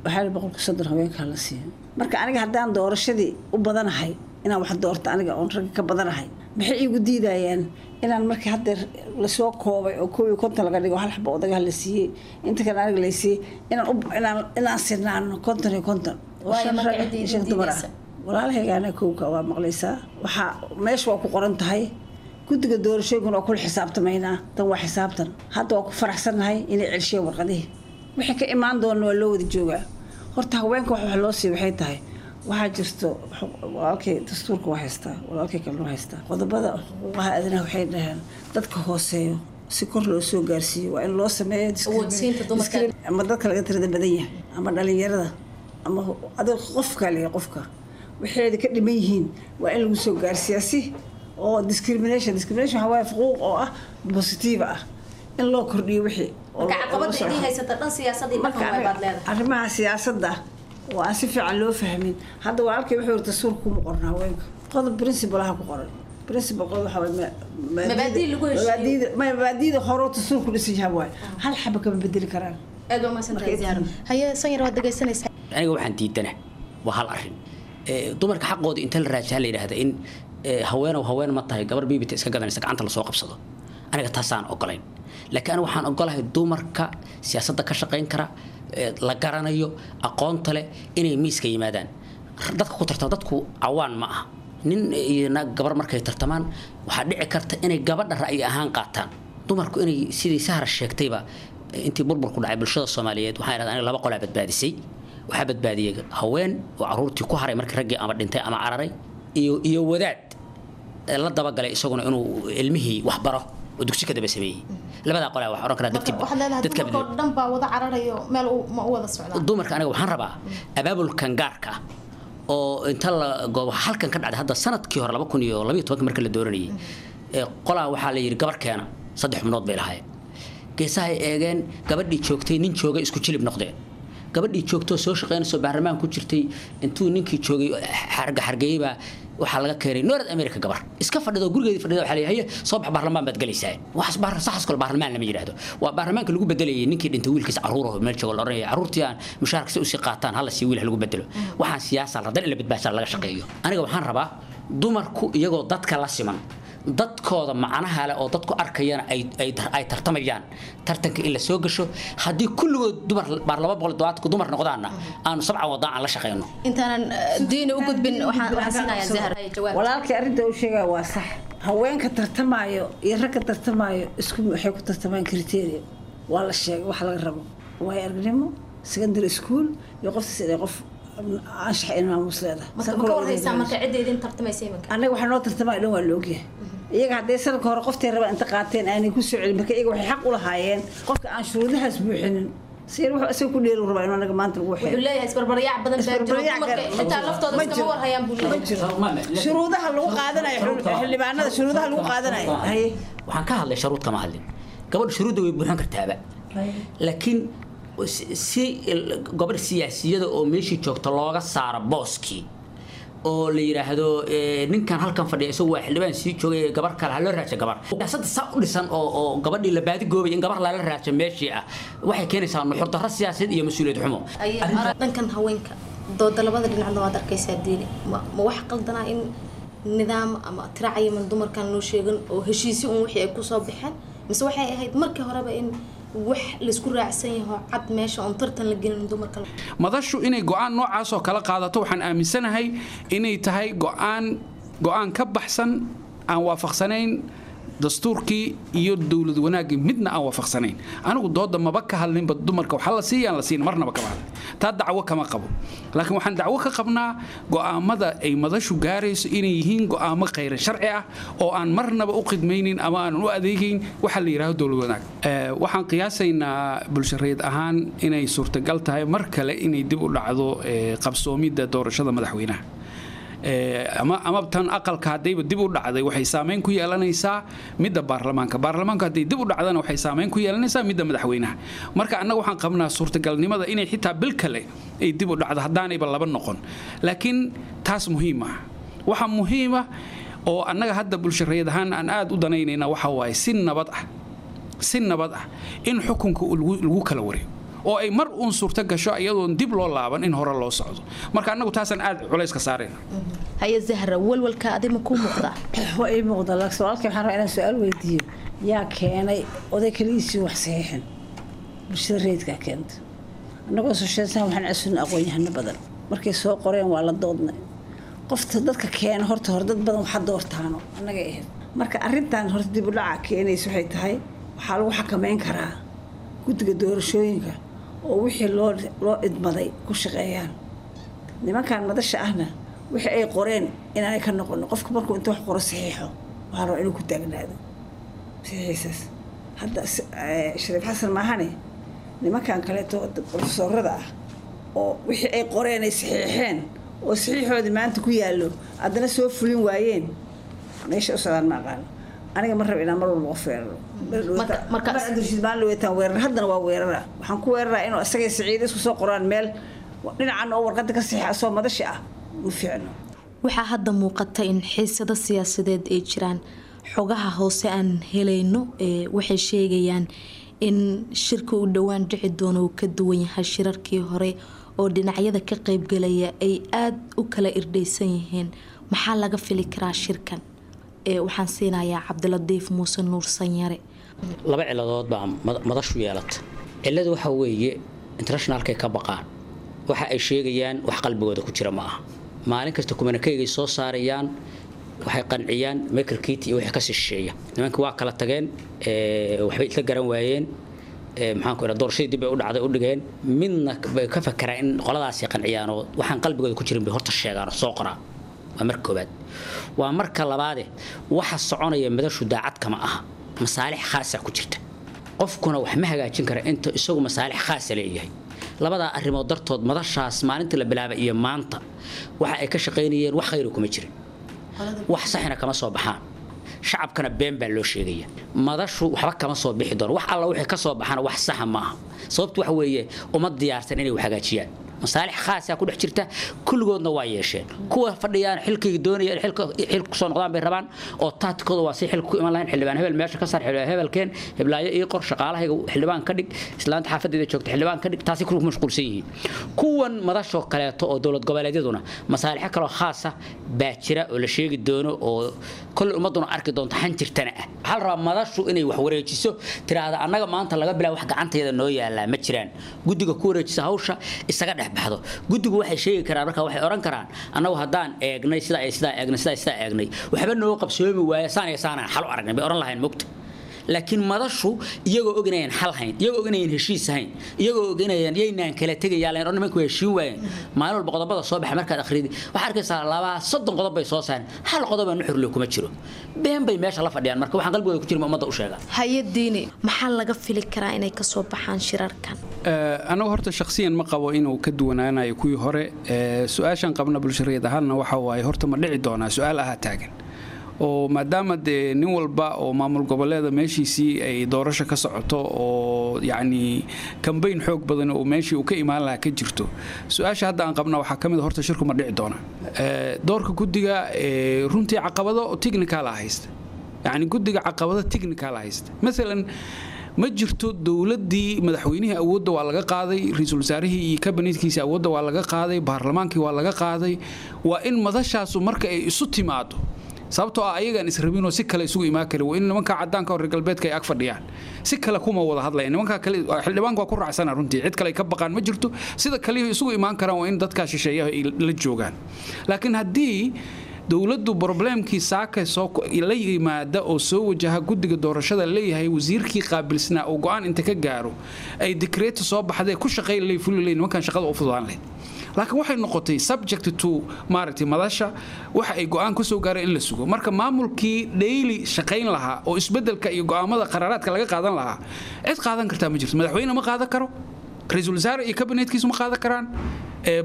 waxaa la 30% haweenka la siiyo. Marka aniga haddaan doorashadii u badanahay inaan wax doorto, aniga oon ragga ka badanahay, maxay iigu diidayaan inaan markii haddeer lasoo koobay oo 51 laga dhigo, hal xabo odagaha la siiyey, inta kale aniga la siiyey, inaan sinaano 50 iyo 50 oo Waayo shan marka rag cidda iyo idin shan dumar ah. diidaysa. Walaalahaygaana kowka waa maqlaysaa, waxaa meesha waa ku qoran tahay. Guddiga doorashooyinkuna waa kula xisaabtamaynaa. Tan waa xisaabtan. Hadda waa ku faraxsannahay inay celshiyeen warqadihii. Wixii ka imaan doona waa loo wada joogaa. Horta haweenka wax loo siiyo waxay tahay, waxaa jirto walaalkay dastuurka waa haystaa, walaalkay kalena waa haystaa qodobada xuquuqaha aadanaha. Waxay dhaheen dadka hooseeyo si kor loo soo gaarsiiyo waa in loo sameeyo Awoodsiinta dumarka. Ama dadka laga tirada badan yahay ama dhalinyarada ama adiga qofka leeyahay, qofka waxeeda ka dhiman yihiin waa in lagu soo gaarsiiyaa si oo discrimination waxaa waaye xuquuq oo ah positive ah in loo kordhiyo wixii oo Marka oo caqabada loo soo idiin haysata dhan siyaasadii Marka dhaqan waay baad leedahay. Arrimaha siyaasadda oo aan si fiican loo fahmin. Hadda walaalkay wuxuu yiri dastuurka kuma qoran haweenka. Qodob principle ah ku qoran, principle qodob waxaa waaye Mabaadii lagu heshiiyo. Mabaadiida hore oo dastuurku dhisan yahay waaye, hal xaba kama bedeli karaan. Aad waa mahadsantahay Zahra. Haye Sanyar, waad dhegaysanaysaa. Aniga waxaan diidana waa hal arrin. Dumarka xaqooda inta la raajaa la yidhaahda in haweenow haween ma tahay, gabar biibita iska gadanaysa gacanta lasoo qabsado, aniga taasaan ogolayn. Laakiin aniga waxaan ogolahay dumarka siyaasadda ka shaqayn kara, la garanayo, aqoonta leh, inay miiska yimaadaan dadka ku tartama. Dadku cawaan ma aha. Nin iyo naag gabar markay tartamaan waxaa dhici karta inay gabadha ra'yi ahaan qaataan. Dumarku inay sidii Sahra sheegtayba, intii burburku dhacay bulshada Soomaaliyeed waxaan idhahdaa aniga laba qolaa badbaadisay. Waxaa badbaadiyey haween oo caruurtii ku haray markii raggii ama dhintay ama cararay, iyo wadaad la dabagalay isaguna inuu ilmihii wax baro oo dugsi ka daba sameeyey. Labadaa qolaa waxaan oran karaa dadkii Waxaad leedahay dadka dumarka oo dhan baa wada cararayo, meel ma u wada socdaan. Dumarka aniga waxaan rabaa abaabulkan gaarka ah oo inta la goobo halkan ka dhacday hadda sanadkii hore 2012 marka la dooranayay ee qolaa waxaa la yidhi gabar keena, saddex xubnood bay lahaayeen. Geesahay eegeen, gabadhii joogtay nin joogay isku jilib noqdeen. Gabadhii joogtoo soo shaqaynayso baarlamaan ku jirtay intuu ninkii joogay xarga xargeeyey baa waxaa laga keenay North America gabar iska fadhido, gurigeedii fadhida. Waxaa la yidhi, "Haye, soo bax, baarlamaan baad galaysaa." Waxaas saxas kale baarlamaan lama yidhaahdo. Waa baarlamaanka lagu bedelayay ninkii dhintay wiilkiisa carruur oo meel joogo la oranaya carruurtii aan mushaharka si usii qaataan hala sii wiil ha lagu bedelo. Waxaan siyaasa la dan in la badbaadsaa laga shaqeeyo. Aniga waxaan rabaa dumarku iyagoo dadka la siman Dadkooda macnaha leh oo dadku arkayana ay tartamayaan, tartanka in la soo gasho. Haddii kulligood dumar baar 270 dumar noqdaanna, aanu sabcan wadaan aan la shaqeyno. Intaanan Diini u gudbin, waxaan siinayaa Zahra jawaab. Walaalkii arrinta uu sheegaya waa sax. Haweenka tartamaayo iyo ragga tartamaayo isku waxay ku tartamaan criteria waa la sheegay waxa laga rabo: waayo aragnimo, secondary school iyo qoftaas inay qof anshax in maamuus leedahay. Marka ma ka warhaysaa marka cidda idin tartamaysa iminka? Annaga waxaa noo tartamaya dhan waa la ogyahay. Iyaga hadday sanadka hore qoftay rabaan inta qaateen aanay ku soo celin, marka iyaga waxay xaq u lahaayeen qofka aan shuruudahaas buuxinin si wuxuu isaga ku dheeri rabaa inuu anaga maanta lagu wuxuu leeyahay isbarbaryac badan baa jiro, dumarka xitaa laftooda iskama warhayaan buu leeyahay. Shuruudaha lagu qaadanayo xildhibaanada, shuruudaha lagu qaadanayo. Waxaan ka hadlay shuruud kama hadlin. Gabadha shuruudda way buuxin kartaaba, laakiin si gabadh siyaasiyada oo meeshii joogta looga saaro booskii oo la yiraahdo ninkan halkan fadhiya isagu waa xildhibaan sii joogay, gabar kale ha loo raadsho. Gabar siyaasadda saa u dhisan oo gabadhii la baadi goobay in gabar lala raadsho meeshii ah waxay keenaysaa nuxur darro siyaasadeed iyo mas-uuliyad xumo. Dhankan haweenka dooda labada dhinacna waad arkaysaa. Diini, ma wax qaldanaa in nidaam ama tiracayaman dumarkan loo sheegan oo heshiisyo un wixii ay kusoo baxeen, mise waxay ahayd markii horeba in wax laisku raacsan yaho cad meesha oon tartan la gelin dumarka? Madashu inay go'aan noocaas oo kala qaadato, waxaan aaminsanahay inay tahay go'aan ka baxsan, aan waafaqsanayn dastuurkii iyo dowlad wanaaggii, midna aan waafaqsanayn. Anigu dooda maba ka hadlinba dumarka waxaa la siiyaan la siin, marnaba kama hadlin taa, dacwo kama qabo. Laakiin waxaan dacwo ka qabnaa go'aamada ay madashu gaarayso inay yihiin go'aamo khayran sharci ah oo aan marnaba u khidmaynin ama aanan u adeegayn waxa la yidhaahdo dowlad wanaag. Waxaan qiyaasaynaa bulshareed ahaan inay suurtagal tahay mar kale inay dib u dhacdo qabsoomidda doorashada madaxweynaha ama tan aqalka. Haddayba dib u dhacday, waxay saameyn ku yeelanaysaa midda baarlamaanka. Baarlamaanka hadday dib u dhacdana, waxay saameyn ku yeelanaysaa midda madaxweynaha. Marka annaga waxaan qabnaa suurtagalnimada inay xitaa bil kale ay dib u dhacdo, haddaanayba laba noqon. Laakiin taas muhiim ah. Waxa muhiim ah oo annaga hadda bulshareed ahaan aan aad u danaynayna waxa waaye si nabad ah in xukunka lagu kala wareego oo ay mar uun suurto gasho iyadoon dib loo laaban in hore loo socdo. Marka annagu taasaan aad culayska saarayna. Haye Zahra, walwalka adima kuu muuqdaa? Waa ii muuqda, laakiin walaalkii waxaan rabaa inaan su-aal weydiiyo: yaa keenay oday kaligiisii wax saxiixin? Bulshada rayidkaa keenta. Annagoo sosheesan waxaan casuun aqoon-yahano badan. Markay soo qoreen waa la doodnay. Qofta dadka keena horta hore dad badan waxa doortaano annagay ahayd. Marka arrintan horta dib u dhaca keenaysa waxay tahay, waxaa lagu xakameyn karaa guddiga doorashooyinka oo wixii loo idmaday ku shaqeeyaan. Nimankan madasha ahna wixii ay qoreen inaanay ka noqono. Qofka markuu inta wax qoro saxiixo, waxaa rabaa inuu ku taagnaado saxiixiisaas. Hadda Shariif Xasan maahane, nimankan kaleeto profesorada ah oo wixii ay qoreen ay saxiixeen oo saxiixoodii maanta ku yaallo haddana soo fulin waayeen, meesha u socdaan ma aqaano. Aniga ma rabo inaan mar walba qof weeraro. Mar Cabdirashiid maalin weetaan weerar, haddana waa weerara. Waxaan ku weeraraa inuu isagay Siciid isku soo qoraan meel dhinacan oo warqadda ka saxiixa soo madashi ah, ma fiicno. Waxaa hadda muuqata in xiisado siyaasadeed ay jiraan. Xogaha hoose aan helayno waxay sheegayaan in shirka u dhowaan dhici doono uu ka duwan yahay shirarkii hore oo dhinacyada ka qeybgalaya ay aada u kala irdhaysan yihiin. Maxaa laga fili karaa shirkan? Waxaan siinayaa Cabdiladiif Muuse Nuur Sanyare. Laba ciladood baa madashu yeelata. Ciladu waxa weeye internationalkay ka baqaan. Waxa ay sheegayaan wax qalbigooda ku jira ma aha. Maalin kasta communiqué-gay soo saarayaan waxay qanciyaan Michael Keating iyo wixii ka shisheeya. Nimanka waa kala tageen, waxbay isla garan waayeen, maxaan ku idhaha, doorashadii dib bay u dhacday u dhigeen. Midna bay ka fakeraan in qoladaasi qanciyaan oo waxaan qalbigooda ku jirin bay horta sheegaan oo soo qoraan. Waa marka koobaad. Waa marka labaade, waxa soconaya madashu daacad kama aha, masaalix khaasa ku jirta. Qofkuna wax ma hagaajin kara inta isagu masaalix khaasa leeyahay. Labadaa arrimood dartood, madashaas maalintii la bilaabay iyo maanta waxa ay ka shaqaynayeen wax khayri kuma jirin, wax saxina kama soo baxaan, shacabkana been baa loo sheegaya. Madashu waxba kama soo bixi doono. Wax alla wixii ka soo baxana wax saxa ma aha. Sababtu waxa weeye uma diyaarsan inay wax hagaajiyaan. Masaalix khaasa ku dhex jirta, kulligoodna waa yeesheen. Kuwa fadhiyaan xilkii doonaya xilka xil ku soo noqdaan bay rabaan, oo taatikooda waa si xil ku iman lahayn. Xildhibaan hebel meesha ka saar, xildhibaan hebelkeen, heblaayo ii qor, shaqaalahayga xildhibaan ka dhig, islaanta xaafadeeda joogta xildhibaan ka dhig, taasi ku mashquulsan yihiin. Kuwan madashoo kaleeto oo dowlad goboleedyaduna masaalixo kaloo khaasa baa jira oo la sheegi doono, oo kolley ummaduna arki doonto, xanjirtana ah. Waxaa la rabaa madashu inay wax wareejiso, tiraahda annaga maanta laga bilaabo wax gacantayada noo yaalaa ma jiraan. Guddiga ku wareejisa hawsha, isaga dhex baxdo. Guddigu waxay sheegi karaan, marka waxay oran karaan annagu haddaan eegnay sidaa iyo sidaa eegnay, sidaa iyo sidaa eegnay, waxba noo qabsoomi waaya, saan iyo saanaan xal u aragnay bay oran lahayn, mogta. Laakiin madashu iyagoo og inayan xal hayn, iyagoo og inayan heshiis hayn, iyagoo og inayan yaynaan kala tegayaa lahayn oo nimanku heshiin waayeen, maalin walba qodobada soo baxa markaad akhridi waxaad arkaysaa 30 qodob bay soo saareen, hal qodob aan nuxur leh kuma jiro. Been bay meesha la fadhiyaan. Marka waxaan qalbigooda ku jirin ummadda u sheegaa. Hay-adiini, maxaa laga fili karaa inay kasoo baxaan shirarkan? Anagu horta shakhsiyan ma qabo inuu ka duwanaanayo kuwii hore. Su-aashan qabna bulshareed ahaanna waxa waaye, horta ma dhici doonaa? Su-aal ahaa taagan, oo maadaama dee nin walba oo maamul goboleeda meeshiisii ay doorasho ka socoto, oo yacni kambayn xoog badan oo meeshii uu ka imaan lahaa ka jirto, su-aasha hadda aan qabna waxaa ka mid a, horta shirku ma dhici doona? Doorka guddiga runtii caqabado technical ah haysta, yacni guddiga caqabado technical ah haysta. Maalan, ma jirto dowladdii, madaxweynihii awoodda waa laga qaaday, ra-iisul wasaarihii iyo kabinetkiisa awoodda waa laga qaaday, baarlamaankii waa laga qaaday. Waa in madashaasu marka ay isu timaado, sababtoo ah ayagaan israbinoo si kale isugu imaan karin, waa in nimanka caddaanka oo reer galbeedka ay ag fadhiyaan. Si kale kuma wada hadlaya nimanka kale. Xildhibaanka waa ku raacsana runtii, cid kale ay ka baqaan ma jirto. Sida kaliya isugu imaan karaan waa in dadkaa shisheeyaha ay la joogaan. Laakiin haddii dowladdu problemkii saaka soo la yimaada oo soo wajaha guddiga doorashada leeyahay, wasiirkii qaabilsnaa oo go'aan inta ka gaaro ay dekreeto soo baxdee ku shaqayn lay fuli lay, nimankan shaqada u fududaan lahayd. Laakiin waxay noqotay subject to maaragtay madasha waxa ay go'aan ku soo gaareen in la sugo. Marka maamulkii daily shaqayn lahaa oo isbeddelka iyo go'aamada qaraaraadka laga qaadan lahaa, cid qaadan kartaa ma jirto. Madaxweyne ma qaadan karo, ra-iisul wasaare iyo kabinetkiisu ma qaadan karaan,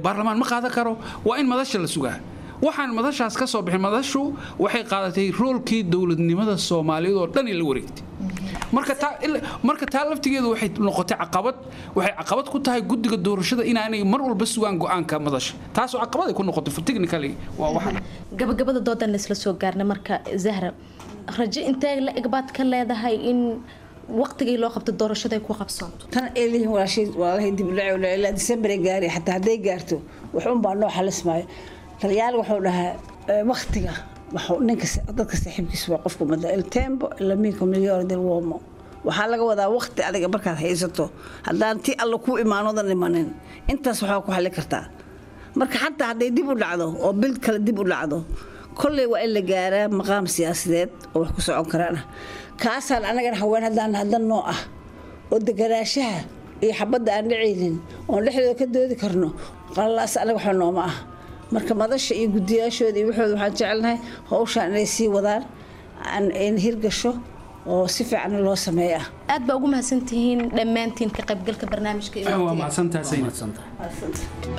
baarlamaan ma qaadan karo. Waa in madasha la sugaa. Waxaan madashaas ka soo bixin, madashu waxay qaadatay roolkii dowladnimada Soomaaliyeed oo dhan in la wareegtay. Marka taa laftigeedu waxay noqotay caqabad. Waxay caqabad ku tahay guddiga doorashada inaanay mar walba sugaan go'aanka madasha. Taasoo caqabad ay ku noqotay technically waa waxa. Gabagabada doodan la isla soo gaarnay. Marka Zahra, rajo intee la eg baad ka leedahay in waqtigii loo qabto doorashada ay ku qabsoonto? Tan ay leeyihiin walaashay, walaalahay, dib u dhac ilaa December ay gaari, xataa hadday gaarto wax un baa noo xalismaayo. Talyaal wuxuu dhahaa waqtiga wuxuu ninka dadka saaxiibkiisa waa qofku mada il tempo l'amico migliore dell'uomo. Waxaa laga wadaa waqti adiga markaad haysato, haddaan ti alla ku imaanoodan imanin, intaas waxaa ku xalli kartaa. Marka xataa hadday dib u dhacdo oo bil kale dib u dhacdo, kolley waa in la gaaraa maqaam siyaasadeed oo wax ku socon karaan ah. Kaasaan anagana haween haddaan haddan noo ah oo deganaashaha iyo xabadda aan dhacaynin oon dhexdooda ka doodi karno, qalalaas anaga waxa nooma ah. Marka madasha iyo guddiyaashooda iyo waxooda waxaan jecelnahay hawshaan inay sii wadaan, in hirgasho oo si fiican loo sameeya. Aad baa ugu mahadsantihiin dhammaantiin ka qaybgalka barnaamijka iyo waa waqtiga. Mahadsantahay Zaynab.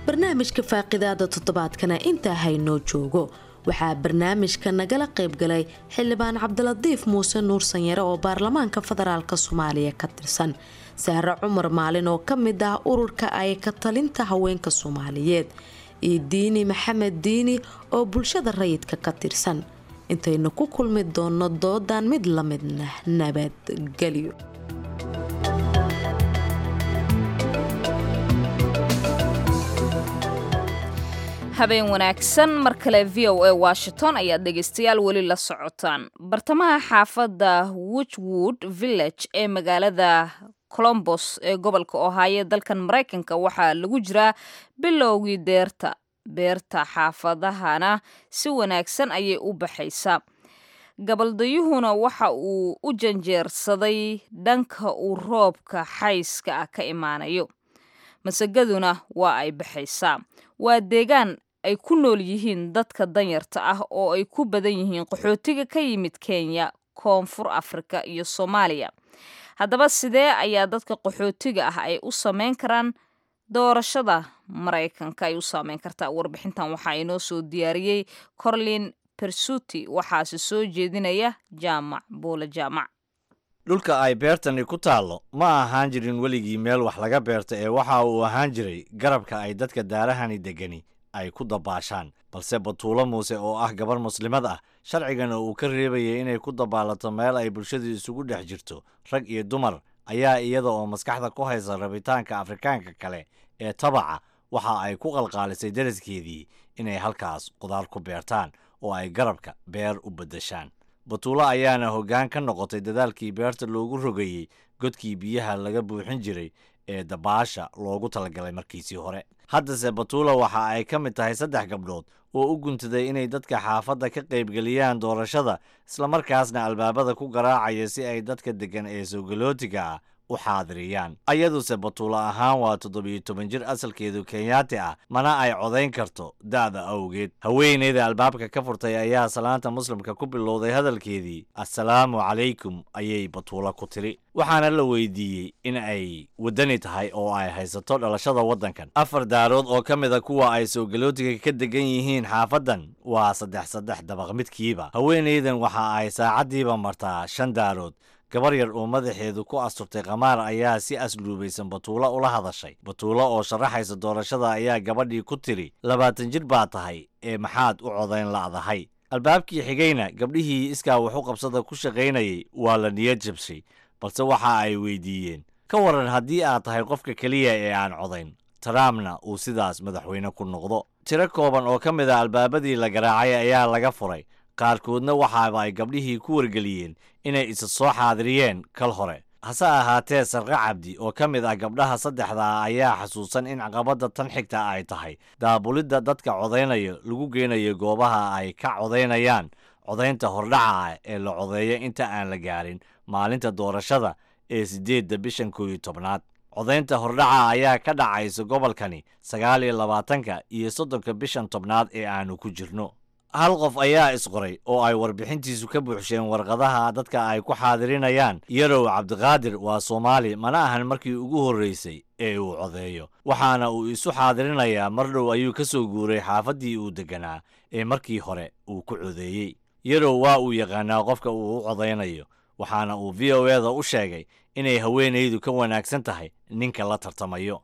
Barnaamijka faaqidaada toddobaadkana intaa haynoo joogo. Waxaa barnaamijka nagala qaybgalay xildhibaan Cabdiladiif Muuse Nuur Sanyare oo baarlamaanka federaalk Soomaaliya ka tirsan, Sahre Cumar Maalin oo ka mid ah ururka ay ka talinta haweenka Soomaaliyeed, iyo Diini Maxamed Diini oo bulshada rayidka ka tirsan. Intaynu ku kulmi doono doodan mid la midna, nabadgelyo. Habeen wanaagsan mar kale. VOA Washington ayaad dhegaystayaal weli la socotaan. Bartamaha xaafadda Wedgewood Village ee magaalada Columbus ee gobolka Ohio dalkan Maraykanka waxaa lagu jiraa bilowgii deerta. Beerta xaafadahana si wanaagsan ayay u baxaysaa, gabaldayuhuna waxa uu u janjeersaday dhanka uu roobka xayska ah ka imaanayo, masagaduna waa ay baxaysaa. Waa deegaan ay ku nool yihiin dadka danyarta ah oo ay ku badan yihiin qaxootiga ka yimid Kenya, Koonfur Afrika iyo Soomaaliya. Haddaba sidee ayaa dadka qaxootiga ah ay u sameyn karaan doorashada Maraykanka ay u saameyn kartaa? Warbixintan waxaa inoo soo diyaariyey Corlin Persuti, waxaase soo jeedinaya Jaamac Buule Jaamac. Dhulka ay beertani ku taallo ma ahaan jirin weligii meel wax laga beerto ee waxa uu ahaan jiray garabka ay dadka daarahani degani ay ku dabaashaan. Balse Batuulo Muuse oo ah gabar muslimad ah, sharcigana uu ka reebayay inay ku dabaalato meel ay bulshadu isugu dhex jirto rag iyo dumar, ayaa iyada oo maskaxda ku haysa rabitaanka Afrikaanka kale ee tabaca waxa ay ku qalqaalisay daraskeedii inay halkaas qudaar ku beertaan oo ay garabka beer u beddeshaan. Batuulo ayaana hoggaan ka noqotay dadaalkii beerta loogu rogayey godkii biyaha laga buuxin jiray ee dabaasha loogu talagalay markiisii hore. Haddase Batuula waxa ay ka mid tahay saddex gabdhood oo u guntaday inay dadka xaafadda ka qaybgeliyaan doorashada, islamarkaasna albaabada ku garaacaya si ay dadka deggan ee soogalootiga ah u xaadiriyaan. Ayaduse Batuulo ahaan waa 17 jir asalkeedu Kenyaati ah, mana ay codayn karto da'da awgeed. Haweeneyda albaabka ka furtay ayaa salaanta muslimka ku bilowday hadalkeedii. "Assalaamu calaykum," ayay Batuulo ku tiri. Waxaana la weydiiyey in ay waddani tahay oo ay haysato dhalashada waddankan. Afar daarood oo ka mid a kuwa ay soogalootiga ka degan yihiin xaafaddan waa saddex saddex dabaq midkiiba. Haweeneydan waxa ay saacaddiiba martaa shan daarood. Gabar yar oo madaxeedu ku asturtay qamaar ayaa si asluubaysan Batuulo ula hadashay. Batuulo oo sharaxaysa doorashada ayaa gabadhii ku tiri, "20 jir baa tahay ee maxaad u codayn la'dahay?" Albaabkii xigayna gabdhihii iskaa waxu qabsada ku shaqaynayay waa la niyad jabshay, balse waxa ay weydiiyeen, "Ka waran haddii aad tahay qofka keliya ee aan codayn, Trumpna uu sidaas madaxweyne ku noqdo?" Tiro kooban oo ka mid a albaabadii la garaacay ayaa laga furay. Qaarkoodna waxaaba ay gabdhihii ku wargeliyeen inay isa soo xaadiriyeen kal hore. Hase ahaatee Sarqe Cabdi oo ka mid ah gabdhaha saddexda ah ayaa xasuusan in caqabadda tan xigta ay tahay daabulidda dadka codaynaya lagu geynayo goobaha ay ka codaynayaan, codaynta hordhaca ah ee la codeeyo inta aan la gaarin maalinta doorashada ee 8-da bishan 11aad. Codaynta hordhaca ayaa ka dhacaysa gobolkani 29-ka iyo 30-ka bishan 10aad ee aanu ku jirno. Hal qof ayaa isqoray oo ay warbixintiisu ka buuxsheen warqadaha dadka ay ku xaadirinayaan. Yarow Cabdiqaadir waa Soomaali, mana ahan markii ugu horreysay ee uu codeeyo, waxaana uu isu xaadirinayaa. Mar dhow ayuu ka soo guuray xaafaddii uu degganaa ee markii hore uu ku codeeyey. Yarow waa uu yaqaanaa qofka uu u codaynayo, waxaana uu VOA-da u sheegay inay haweenaydu ka wanaagsan tahay ninka la tartamayo.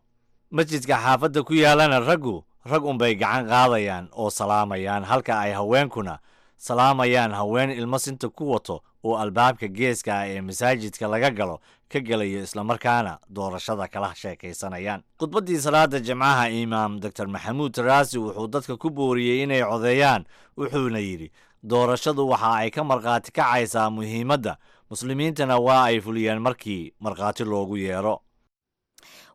Masjidka xaafadda ku yaalana raggu rag unbay gacan qaadayaan oo salaamayaan, halka ay haweenkuna salaamayaan haween ilmo sinta ku wato oo albaabka geeska ah ee masaajidka laga galo ka gelayo, islamarkaana doorashada kala sheekaysanayaan. Khudbaddii salaada Jimcaha, imaam Dr Maxamuud Taraasi wuxuu dadka ku booriyey inay codeeyaan, wuxuuna yidhi doorashadu waxa ay ka markhaati kacaysaa muhiimadda muslimiintana waa ay fuliyaan markii markhaati loogu yeero.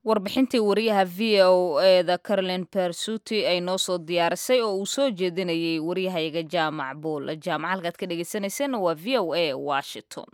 Warbixintii wariyaha VOA-da Carolin Bersuti ay noo soo diyaarisay oo uu soo jeedinayay waryahayaga Jaamac Buul Jaamac. Halkaad ka dhegeysaneyseen waa VOA Washington.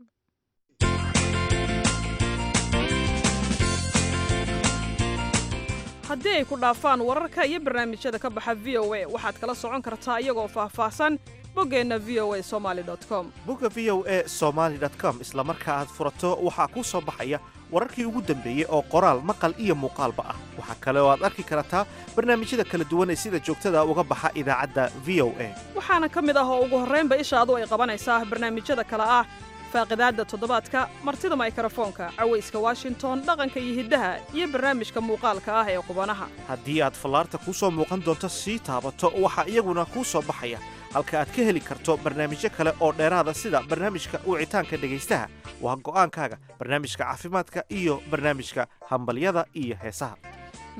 Haddii ay ku dhaafaan wararka iyo barnaamijyada ka baxa VOA, waxaad kala socon kartaa iyagoo faahfaahsan boggeenna voasomali com. Bogga VOA Somaali com isla marka aad furato waxaa kuu soo baxaya wararkii ugu dambeeyey oo qoraal, maqal iyo muuqaalba ah. Waxaa kale oo aad arki kartaa barnaamijyada kala duwan ee sida joogtada uga baxa idaacadda VOA. Waxaana ka mid ah oo ugu horraynba ishaadu ay qabanaysaa barnaamijyada kale ah faaqidaadda toddobaadka, martida maykarafoonka, cawayska Washington, dhaqanka iyo hiddaha, iyo barnaamijka muuqaalka ah ee qubanaha. Haddii aad fallaarta kuu soo muuqan doonto sii taabato, waxaa iyaguna kuu soo baxaya halka aad ka heli karto barnaamijyo kale oo dheeraada, sida barnaamijka wicitaanka dhegaystaha, waa go'aankaaga, barnaamijka caafimaadka iyo barnaamijka hambalyada iyo heesaha.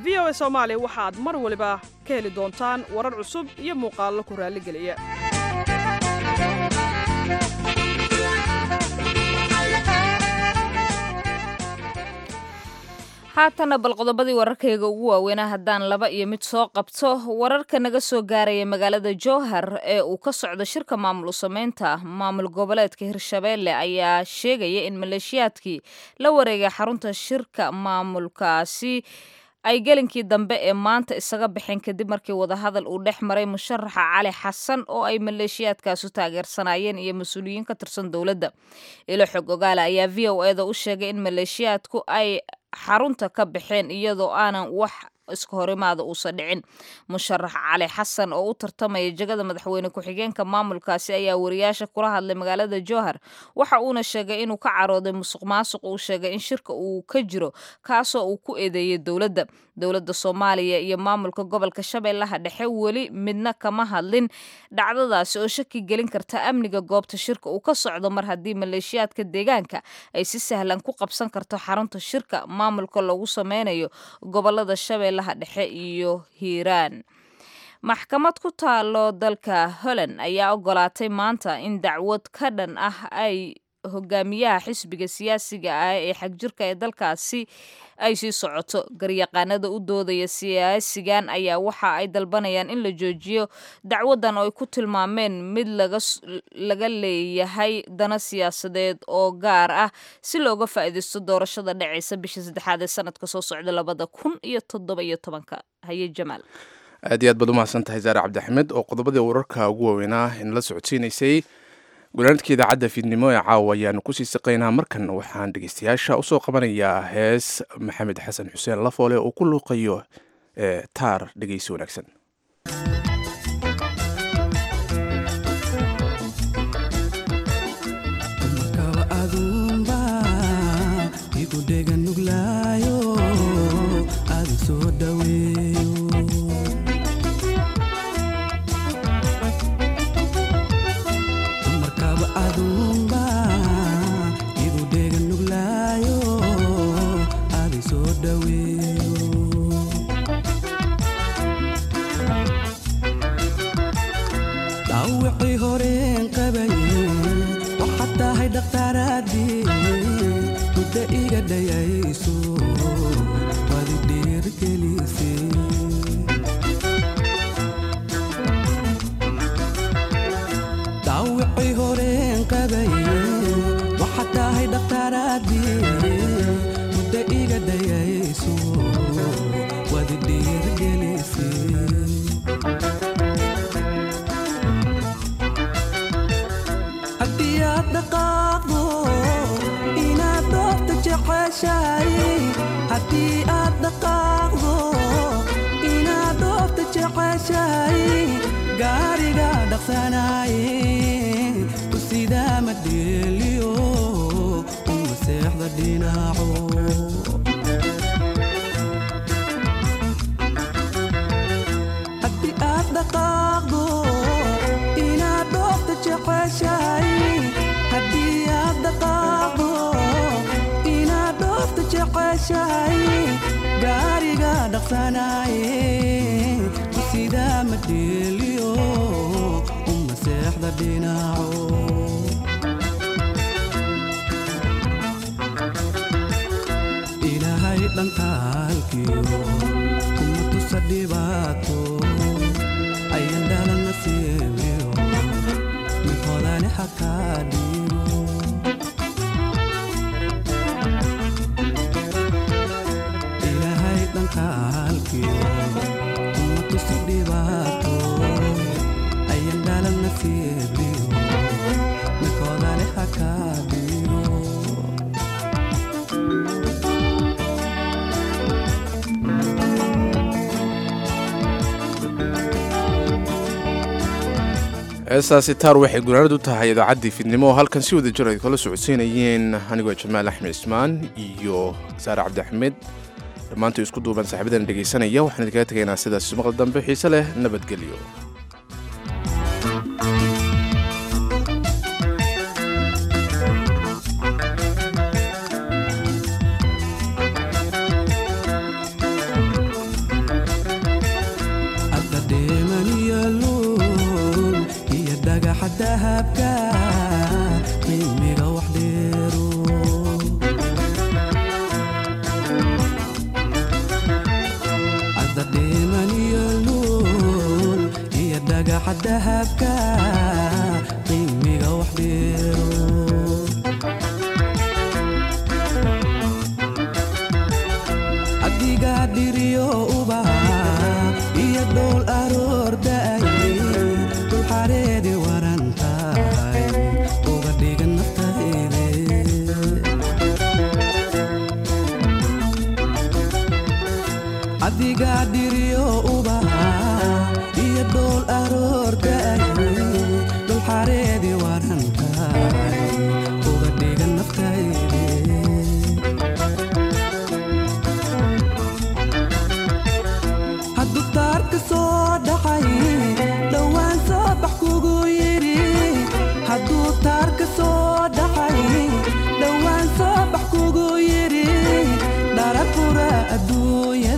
VOA Soomaali waxaad mar waliba ka heli doontaan warar cusub iyo muuqaallo ku raalligeliya. Haatana bal qodobadii wararkayga ugu waaweynaa haddaan laba iyo mid soo qabto. Wararka naga soo gaaraya magaalada Jowhar ee uu ka socdo shirka maamul u sameynta maamul goboleedka Hirshabeelle ayaa sheegaya in maleeshiyaadkii la wareegay xarunta shirka maamulkaasi ay gelinkii dambe ee maanta isaga baxeen, kadib markii wadahadal uu dhex maray musharaxa Cali Xasan oo ay maleeshiyaadkaasu taageersanayeen iyo mas-uuliyiin ka tirsan dowladda. Ilo xog ogaala ayaa VOA-da u sheegay in maleeshiyaadku ay xarunta ka baxeen iyadoo aanan wax iska horimaada uusan dhicin. Musharax Cali Xasan oo u tartamaya jagada madaxweyne ku-xigeenka maamulkaasi ayaa wariyaasha kula hadlay magaalada Jowhar, waxa uuna sheegay inuu ka carooday musuq maasuq uu sheegay in shirka uu ka jiro, kaasoo uu ku eedeeyay dowladda. Dowladda Soomaaliya iyo maamulka gobolka Shabeellaha Dhexe weli midna kama hadlin dhacdadaasi oo shaki gelin karta amniga goobta shirka uu ka socdo, mar haddii maleeshiyaadka deegaanka ay si sahlan ku qabsan karto xarunta shirka maamulka loogu sameynayo gobolada Shabeellaha Dhexe iyo Hiiraan. Maxkamad ku taalo dalka Holland ayaa ogolaatay maanta in dacwad ka dhan ah ay hogaamiyaha xisbiga siyaasiga ah ee xagjirka ee dalkaasi ay sii socoto. Garyaqaanada u doodaya siyaasigan ayaa waxa ay dalbanayaan in la joojiyo dacwadan oo ay ku tilmaameen mid laga leeyahay dana siyaasadeed oo gaar ah si looga faa'iidaysto doorashada dhacaysa bisha saddexaad ee sanadka soo socda 2017-ka. Haye Jamaal. Aad iyo aad baad u mahadsan tahay Saare Cabdixmed oo qodobadii wararka ugu waaweynaa in la socodsiinaysay. Gunaanadka idaacadda fiidnimo ee caawa ayaanu kusii siqaynaa. Markan waxaan dhegeystayaasha usoo qabanayaa hees Maxamed Xasan Xuseen Lafoole oo ku luuqayo ee taar. Dhegeysi wanaagsan. Kaba adumba igu dhega nuglaayo, adi soo dhaweeyo. Markaba adumba igu dhega nuglaayo, adi soo dhaweeyo. Dhaawicii horeen qabaye waxaad tahay dhakhtaaradii muddo iga dhayayso, waad i dhiirigelisay. Dhaawicii horeen qabaye waxaad tahay dhakhtaaradii muddo iga dhayayso, waad i dhiirigelisay. Haddii aad dhaqaaqdo inaad dhoofta jeceshahay, haddii aad dhaqaaqdo inaad dhoofta jeceshahay, gaariga dhaqsanaaye ku sidaa ma dheeliyo, uma seexda dhinaco. Haddii aad dhaqaaqdo inaad dhoofta jeceshahay, haddii aad dhaqaaqdo inaad dhoofta jeceshahay, gaariga dhaqsanaaye ku sidaa ma dheeliyo, uma seexda dhinaco. Ilaahay dhankaalkiyo kuma tusa dhibaato, ayan dhalan nasiibiyo mid hodane hakaa dhiibo. Ilaahay dhankaalkiyo kuma tusi dhibaato, ayan dhalan nasiibiyo mid hodane hakaa dhiibo. Heestaasi taar waxay gunaanad u tahay idaacaddii fiidnimo oo halkan si wada jir ay kala socodsiinayeen anigoo Jamaal Axmed Ismaan iyo Saare Cabdixmed. Dhammaantii isku duuban saaxiibadan dhegaysanaya waxaan idinkaga tegaynaa sidaas maqal dambe xiise leh, nabadgelyo. Adda dheeman iyo luul iyo dhagaxa dahabka qiimiga wax dheero. Adda dheeman iyo luul iyo dhagaxa dahabka qiimiga wax dheero. Adiga dhiriyo ubaxa iyo dhowl aroor da'ay, dul xareedi waran tahay uga dhigan naftayde. Adigaa dhiriyo ubaxa iyo dhool aroor da'ay, dhulxareedi waran tahay, uga dhigan naftayde. Hadduu taarka soo dhacay, dhowaan soo bax kugu yidhi. Hadduu taarka soo dhacay, dhowaan soo bax kugu yidhi. Dharag fura adduunyada.